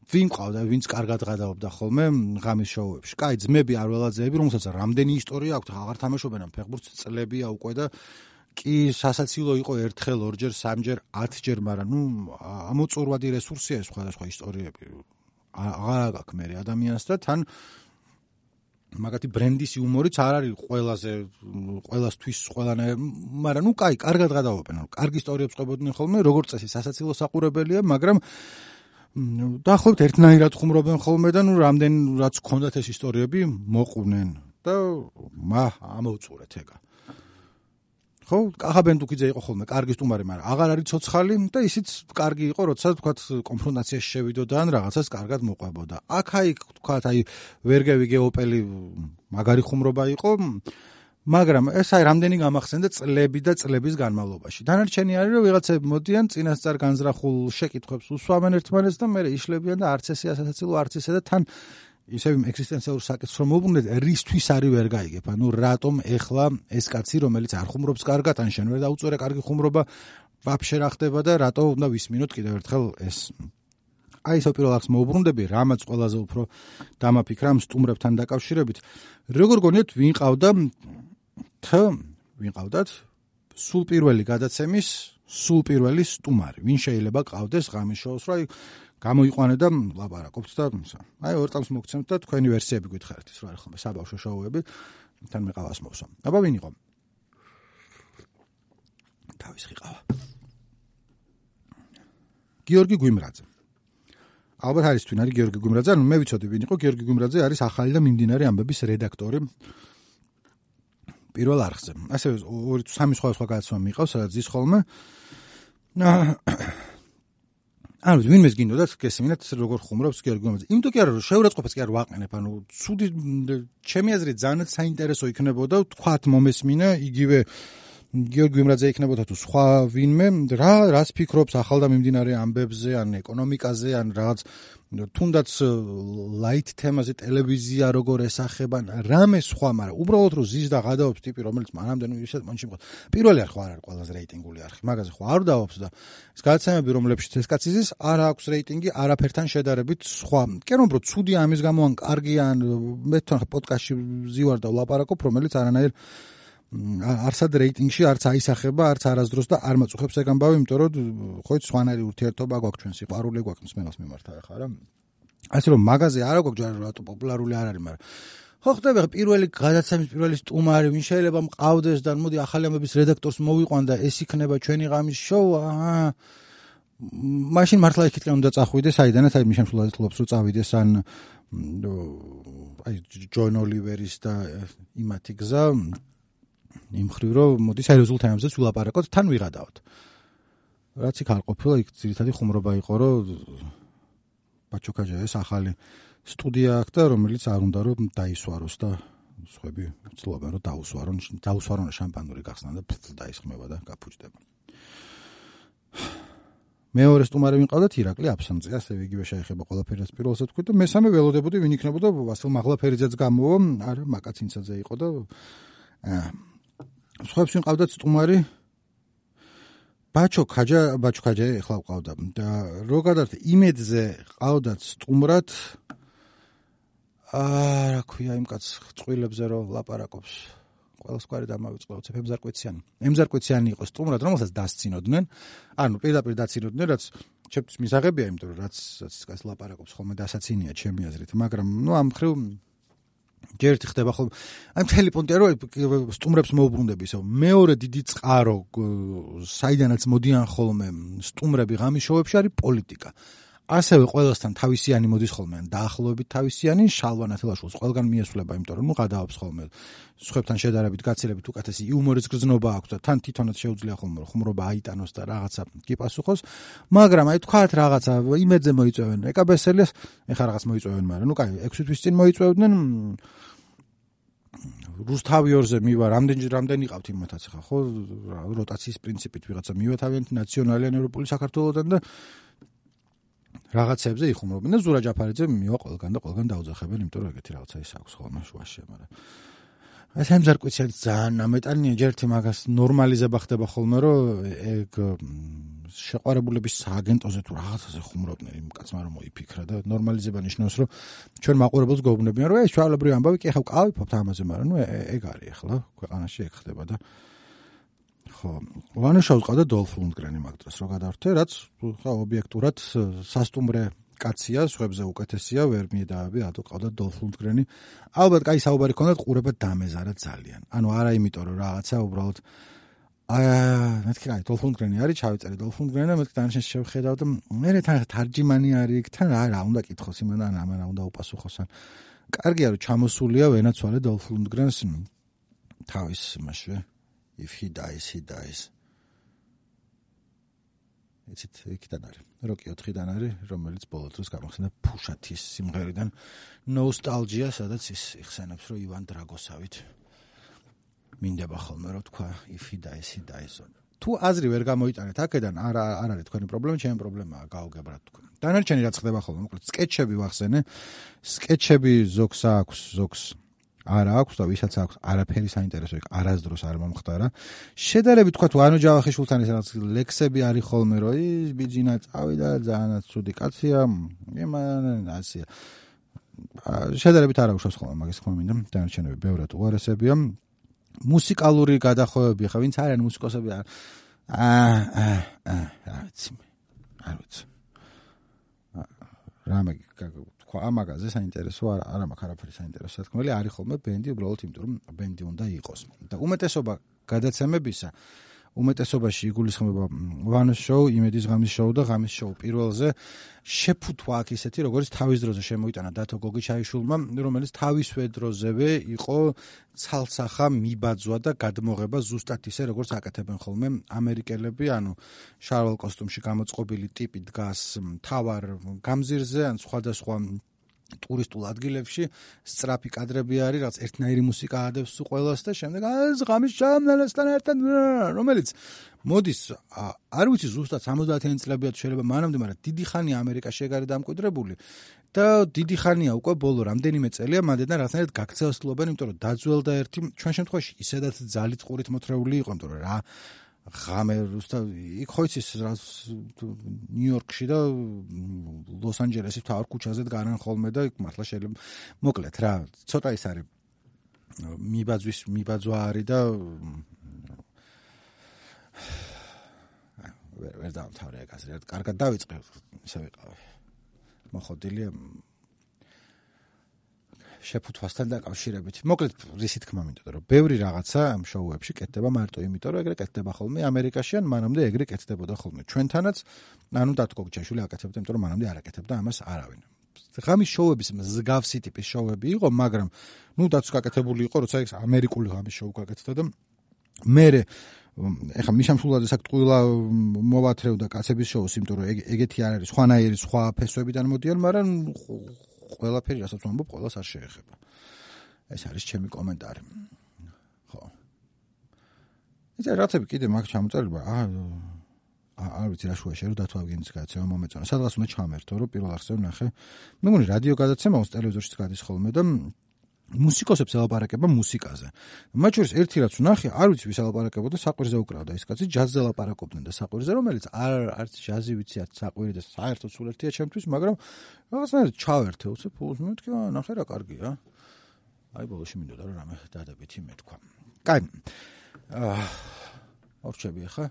ვინ ყავდა, ვინც კარგად გადაობდა ხოლმე ღამის შოუებში. კაი, ძმები არველაძეები, რომელსაც რამდენი ისტორია აქვს, აღარ თამაშობენ ამ ფეხბურთს წლებია უკვე და კი სასაცილო იყო ერთხელ, ორჯერ, სამჯერ, 10ჯერ, მაგრამ ნუ ამოწურვადი რესურსია ეს სხვადასხვა ისტორიები. აღარ აქვს მე ადამიანს და თან მაგათი ბრენდის იუმორიც არ არის ყველასთვის ყველანაირ, მაგრამ ნუ კაი, კარგად გადავობენ, კარგი ისტორიებს ყვებოდნენ ხოლმე, როგორც წესი სასაცილო საყურებელია, მაგრამ დაახლოებით ერთნაირად ხუმრობენ ხოლმე და ნუ რამდენ რაც ქონდათ ეს ისტორიები მოყვნენ და ამოვწურეთ ეგა. ხო, კახაბენდუკიძე იყო ხოლმე კარგი სტუმარი, მაგრამ აღარ არის ცოცხალი და ისიც კარგი იყო, როცა თქვათ კონფრონტაციაში შევიდოდა ან რაღაცას კარგად მოყვებოდა. აქ-აიქ თქვათ აი ვერგევი გეოპელი მაგარი ხუმრობა იყო, მაგრამ ეს აი რამდენი გამახსენდა წლები და წლების განმავლობაში. დანარჩენი არის რომ ვიღაცები მოდიან წინასწარ განზრახულ შეკითხვებს უსვამენ ერთმანეთს და მერე იშლებიან და არც ესე ასაცილო, არც ესე და თან ისევ ექსისტენციალურ საკითხს რომ მოუბრუნდეთ, რისთვის არის ვერ გაიგებ? ანუ რატომ ეხლა ეს კაცი, რომელიც არ ხუმრობს კარგად, ან შენ ვერ დაუწორე კარგი ხუმრობა, ვაფშე რა ხდება და რატო უნდა ვისმინოთ კიდევ ერთხელ ეს? აი ეს პირველ არხს მოუბრუნდები, რამაც ყველაზე უფრო დამაფიქრა ამ სტუმრებთან დაკავშირებით. როგორ გონიათ ვინ ყავდათ სულ პირველი გადაცემის სულ პირველი სტუმარი? ვინ შეიძლება ყავდეს ღამის შოუს, რა გამოიყვანე და ლაპარაკობთ და აი ორ წამს მოგცემთ და თქვენი ვერსიები გითხარით, ის რა არის ხოლმე საბავშვო შოუები. თან მე ყავას მოვსვა. აბა ვინ იყო? თავის ხიყავა. გიორგი გვიმრაძე. ალბათ არის თვინ არის გიორგი გვიმრაძე, ანუ მე ვიცოდი ვინ იყო. გიორგი გვიმრაძე არის ახალი და მიმდინარე ამბების რედაქტორი პირველ არხზე. ასევე 2-3 სხვა გადაცემა მიყავს, სადაც ის ხოლმე ანუ ვინმეს გინდოდათ გესმინათ როგორ ხუმრობს გიორგი გვიმრაძე. იმიტომ კი არა რომ შეურაცხყოფას კი არ ვაყენებ, ანუ ცუდი ჩემი აზრით ძალიან საინტერესო იქნებოდა თქვათ მომესმინა იგივე გიორგი გვიმრაძე იქნებოდა თუ სხვა ვინმე რას ფიქრობს ახალ და მიმდინარე ამბებზე ან ეკონომიკაზე ან რაღაც თუნდაც ლაით თემაზე ტელევიზია როგორ ესახება რამე სხვა, მაგრამ უბრალოდ რომ ზის და გადაობს ტიპი რომელიც მანამდე ისეთ მონში მყავს. პირველი არხი არ არის ყველაზე რეიტინგული არხი, მაგაზე ხო არ დავობს და ეს გადაცემები რომლებშიც ეს კაცი ზის არ აქვს რეიტინგი არაფერთან შედარებით სხვა. კი რომ ცუდი ამის გამო ან კარგი ან მე თან პოდკასტში ზივარ და ვლაპარაკობ რომელიც არანაირ არსად რეიტინგში არც აისახება, არც არასდროს და არ მაწუხებს ეგ ამბავი, იმიტომ რომ ხო იცი სხვანაირი ურთიერთობა გვაქვს ჩვენ სიყვარული გვაქვს მსმენელს მიმართ ახლა რა. ასე რომ მაგაზე არა გვაქვს რატო პოპულარული არ არის, მაგრამ ხო ხდება პირველი გადაცემის პირველი სტუმარი ვინ შეიძლება მყავდეს და მოდი ახალი ამბების რედაქტორს მოვიყვან და ეს იქნება ჩვენი ღამის შოუ. მაშინ მართლა იქითკენ უნდა წახვიდეს საიდანაც აი მიშამშულად ხლობს რომ წავიდეს ან აი ჯონ ოლივერის და იმათი გზა იმ ხრივ რომ მოდი სერიოზულ თემებზეც ვილაპარაკოთ, თან ვიღადავთ. რაც იქ არ ყოფილა, იქ ძირითადი ხუმრობა იყო, რომ ბაჩოკაჯაეს ახალი სტუდია აქვს და რომელიც არ უნდა რომ დაისვაროს და სხვები ცდილობენ რომ დაუსვარონ შამპანური გახსნა და დაისხმება და გაფუჭდება. მეორე სტუმარი ვინყავდათ ირაკლი აფსამძე, ასევე იგივე შეეხება ყველაფერი რაც პირველსაც თქვი და მესამე ველოდებოდი ვინ იქნებოდა ვასილ მაღლაფერიძეც გამოვა, არა მაკაცინცაძე იყო და სხვებს ვინყავდათ სტუმარი ბაჩოკაჯა ეხლა ვყავდა და რო გადართ იმედზე ყავდათ სტუმრად რა ქვია იმ კაც წყვილებზე რომ ლაპარაკობს ყველას გვარი დამავიწყოთ ემზარკვეციანი იყო სტუმრად რომელსაც დასცინოდნენ ანუ პირდაპირ დაცინოდნენ რაც ჩემთვის მისაღებია იმიტომ რომ რაც კაც ლაპარაკობს ხოლმე დასაცინია ჩემი აზრით მაგრამ ამ ხრივ ჯერ ერთი ხდება ხოლმე აი მთელი პონტია რომ სტუმრებს მოუბრუნდები ისე მეორე დიდი წყარო საიდანაც მოდიან ხოლმე სტუმრები ღამის შოუებში არის პოლიტიკა ასევე ყველასთან თავისიანი მოდის ხოლმე ან დაახლოებით თავისიანი შალვა ნათელაშვილს ყველგან მიესვლება იმიტომ რომ გადაობს ხოლმე სხვებთან შედარებით გაცილებით უკეთესი იუმორის გრძნობა აქვს და თან თვითონაც შეუძლია ხოლმე ხუმრობა აიტანოს და რაღაცა კი პასუხოს მაგრამ აი თქვათ რაღაცა იმედზე მოიწევენ ეკაბესელიას ეხა რაღაც მოიწევენ მაგრამ ნუ კაი 6 თვის წინ მოიწევდნენ რუსთავიორზე მივა რამდენი ყავთ იმათაც ხა ხო როტაციის პრინციპით ვიღაცა მივეთავიანთ ნაციონალიან ევროპული საქართველოსთან და რაღაცებზე იხუმრობენ და ზურა ჯაფარიძე მივა ყველგან დაუძახებენ, იმიტომ რომ ეგეთი რაღაცა ის აქვს ხოლმე შუაში, მაგრამ ეს ემზარკვეციანი ძალიან ამეტანია, ჯერ ერთი მაგას ნორმალიზება ხდება ხოლმე, რომ ეგ შეყვარებულების სააგენტოზე თუ რაღაცაზე ხუმრობდნენ იმ კაცმა რომ მოიფიქრა და ნორმალიზება ნიშნავს, რომ ჩვენ მაყურებელს გვეუბნებიან, რომ ეს ჩვეულებრივი ამბავი კი ახლა ვყავიფობთ ამაზე, მაგრამ ნუ ეგ არის ახლა ქვეყანაში ეგ ხდება და ხო, ვანუშაუს ყავდა დოლფ ლუნდგრენი მაგ დროს რო გადავრთე, რაც ხა ობიექტურად სასტუმრე კაცია, სხვებზე უკეთესია, ვერ მიედავები, რატო ყავდა დოლფ ლუნდგრენი. ალბათ კაი საუბარი ქონდათ, ყურება დამეზარა ძალიან. ანუ არა იმიტომ რომ რაღაცა უბრალოდ მეთქი კაი დოლფ ლუნდგრენი არის, ჩავიწერე დოლფ ლუნდგრენი და მეთქი დანაშენს შევხედავ და მე თან თარჯიმანი არის იქ თან რა უნდა კითხოს იმან ამან უნდა უპასუხოს ან კარგია რომ ჩამოსულია ვენაცვალე დოლფ ლუნდგრენს თავის იმაში if he dies იცით იქიდან არის როკი 4-დან არის რომელიც ბოლო დროს გამახსენდა ფუშათის სიმღერიდან ნოსტალჯია სადაც ის იხსენებს რომ ივან დრაგოსავით მინდება ხოლმე რომ თქვა if he dies თუ აზრი ვერ გამოიტანეთ აქედან არ არის თქვენი პრობლემა ჩემი პრობლემაა გავგებრათ თქვენ დანარჩენი რაც ხდება ხოლმე მოკლედ სკეჩები ვახსენე სკეჩები ზოგს აქვს ზოგს არა აქვს და ვისაც აქვს არაფერი საინტერესო იქ არასდროს არ მომხდარა შედარებით თქვა თუ ანო ჯავახიშვილთან ეს რაღაც ლექსები არის ხოლმე რომ ის ბიძინა წავიდა ძალიანაც ცუდი კაცია იმან ასია შედარებით არ აქვს ხოლმე მაგის თქმა მინდა დანარჩენები ბევრად უარესებია მუსიკალური გადახოვები ხა ვინც არიან მუსიკოსები არ ვიცი რამე ხო ამაგაზე საინტერესო არა მაქვს არაფერი საინტერესო თქმელი არის ხოლმე ბენდი უბრალოდ იმიტომ რომ ბენდი უნდა იყოს და უმეტესობა გადაცემებისა უმეტესობაში იგულისხმება ვანოს შოუ, იმედის ღამის შოუ და ღამის შოუ პირველზე შეფუთვა აქ ისეთი როგორც თავის დროზე შემოიტანა დათო გოგიჩაიშვილმა, რომელიც თავისვე დროზევე იყო ცალსახა მიბაძვა და გადმოღება ზუსტად ისე როგორც აკეთებენ ხოლმე ამერიკელები, ანუ შარვალ კოსტუმში გამოწყობილი ტიპი დგას მთავარ გამზირზე ან სხვადასხვა ტურისტულ ადგილებში სწრაფი კადრები არის, რაც ერთნაირი მუსიკა ადევს ყველას და შემდეგ ღამის ჩამნელესთან ერთად რომელიც მოდის არ ვიცი ზუსტად 70-იანი წლებია თუ შეიძლება მანამდე, მაგრამ დიდი ხანია ამერიკაში ეგ არის დამკვიდრებული და დიდი ხანია უკვე ბოლო რამდენიმე წელია მანდიდან რაღაცნაირად გაქცევასლობენ, იმიტომ რომ დაძველდა ერთი ჩვენ შემთხვევაში ისედაც ძალით ყურით მოთრეული იყო, იმიტომ რომ რა ღამე რუსთა იქ ხო იცის ნიუ-იორკში და ლოს-ანჯელესის თავარ ქუჩაზე დგარან ხოლმე და იქ მართლა შეიძლება მოკლედ რა ცოტა ის არის მიბაძვა არის და ვერ დავთავრე ეგაზე რა კარგად დავიწყე ისე ვიყავი მოხოდილია შეფუთვასთან დაკავშირებით. მოკლედ რისი თქმა მინდოდა რომ ბევრი რაღაცა ამ შოუებში კეთდება მარტო იმიტომ რომ ეგრე კეთდება ხოლმე ამერიკაში ან მანამდე ეგრე კეთდებოდა ხოლმე ჩვენთანაც ანუ დათო გოგიჩაიშვილი აკეთებდა იმიტომ რომ მანამდე არ აკეთებდა ამას არავინ. ღამის შოუების მსგავსი ტიპის შოუები იყო მაგრამ ნუ დათოს გაკეთებული იყო როცა ეს ამერიკული ღამის შოუ გაკეთდა და მე ეხა მიშამსულაძეს აქ ტყუილა მოვათრევდა კაცების შოუს იმიტომ რომ ეგეთი არ არის სხვანაირი სხვა ფესვებიდან მოდიან მაგრამ ყველაფერი რასაც ვამბობ, ყველას არ შეეხება. ეს არის ჩემი კომენტარი. ხო. იცი რაცები კიდე მაგ ჩამოწერება. არ ვიცი რა შუაში რომ დათო ავგენის გადაცემა მომეწონა. სადღაც უნდა ჩამერთო, რომ პირველ არხზე ვნახე. მე მგონი რადიო გადაცემაოს ტელევიზორშიც გადის ხოლმე და მუსიკოსებს ელაპარაკება მუსიკაზე. მათ შორის ერთი რაც ვნახე, არ ვიცი ვის ელაპარაკებოდა, საყვირზე უკრავდა ის კაცი, ჯაზზე ელაპარაკობდნენ და საყვირზე, რომელიც არც ჯაზი ვიცი, არც საყვირი და საერთოდ სულ ერთია ჩემთვის, მაგრამ რაღაცნაირად ჩავერთე, უცებ ფულს მეთქი, ნახე რა კარგია. აი ბოლოში მინდოდა რომ რამე დადებითი მეთქვა. კაი. ორჩები ახლა.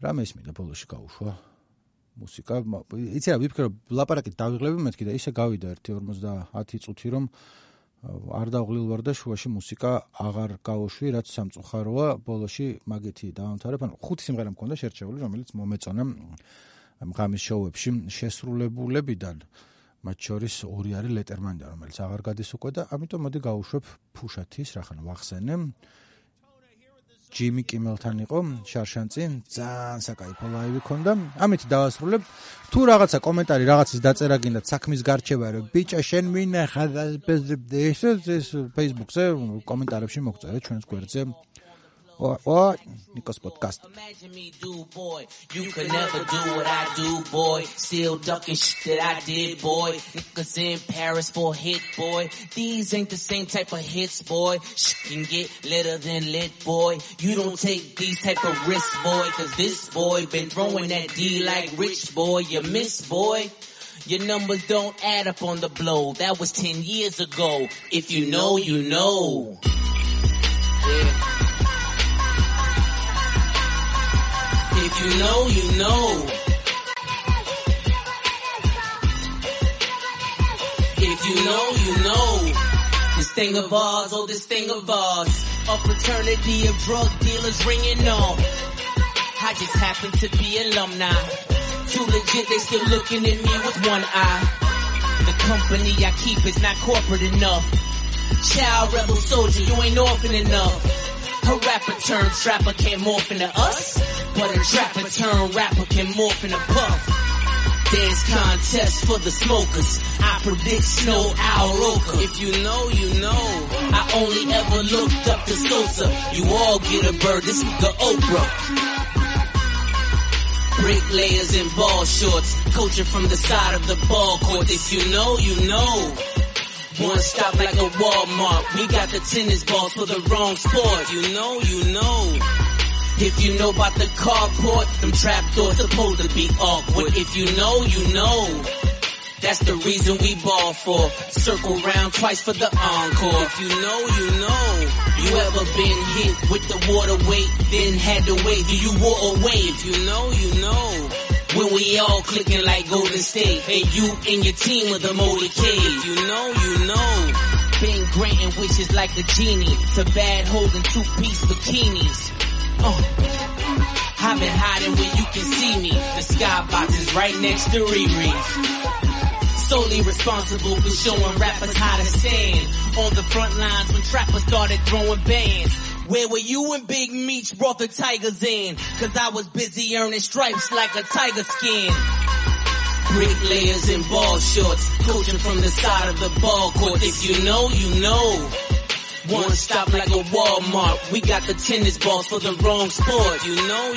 რამე ისმინდა ბოლოში გაუშვა. მუსიკა, იცი რა, ვიფიქრე რომ ლაპარაკით დავიღლები მეთქი და ისე გავიდა 1:50 წუთი რომ არ დავღლილ ვარ და შუაში მუსიკა აღარ გავუშვი, რაც სამწუხაროა, ბოლოში მაგეთი დავამთავრებ, ანუ 5 სიმღერა მქონდა შერჩეული, რომელიც მომეწონა ამ ღამის შოუებში შესრულებულებიდან, მათ შორის 2 არის ლეტერმანიდან, რომელიც აღარ გადის უკვე და ამიტომ მოდი გავუშვებ ფუშათის, რახან ვახსენე. ჯიმი კიმელთან იყო შარშანწი, ძალიან საკაიფო ლაივი ქონდა. ამით დავასრულებ. თუ რაღაცა კომენტარი, რაღაცის დაწერა გინდათ საქმის გარჩევა, რომ ბიჭა შენ მინახა ეს Facebook-ზე კომენტარებში მოგწერეთ ჩვენს გვერდზე. Nikos podcast. Imagine me do, boy. You could never do what I do, boy. Still ducking shit that I did, boy. Niggas in Paris for a hit, boy. These ain't the same type of hits, boy. Shit can get litter than lit, boy. You don't take these type of risks, boy. Cause this boy been throwing that D like rich, boy. You miss, boy. Your numbers don't add up on the blow. That was 10 years ago. If you know, you know. Yeah. If you know, you know. If you know, you know. This thing of ours, oh, this thing of ours. A fraternity of drug dealers ringing on. I just happen to be alumni. Too legit, they still looking at me with one eye. The company I keep is not corporate enough. Child rebel soldier, you ain't orphan enough. A rapper turned trapper can't morph into us. But a trapper turned rapper can morph into puff. Dance contest for the smokers. I predict snow owl roker. If you know, you know. I only ever looked up to Sosa. You all get a bird, this is the Oprah. Bricklayers in ball shorts, coaching from the side of the ball court. If you know, you know. One stop like a Walmart. We got the tennis balls for the wrong sport. You know, you know. If you know about the carport, them trapdoors supposed to be awkward. If you know, you know. That's the reason we ball for. Circle round twice for the encore. If you know, you know. You ever been hit with the water weight, then had to wait till you wore away. If you know, you know. when we all clicking like Golden State, and you and your team with the motorcade. You know. Been granting wishes like a genie to bad hoes in two-piece bikinis. I've been hiding where you can see me. The skybox is right next to Riri's. Solely responsible for showing rappers how to stand on the front lines when trappers started throwing bands. Where were you when Big Meech brought the Tigers in? Cause I was busy earning stripes like a tiger skin. Bricklayers in ball shorts, coaching from the side of the ball court. If you know, you know. One stop like a Walmart. We got the tennis balls for the wrong sport. You know.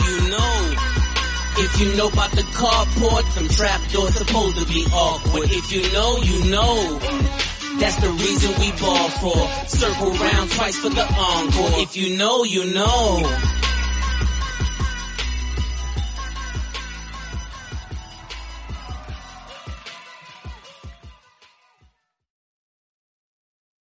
If you know about the carport, them trapdoors supposed to be awkward. If you know, you know. That's the reason we ball for. Circle round twice for the encore. If you know, you know.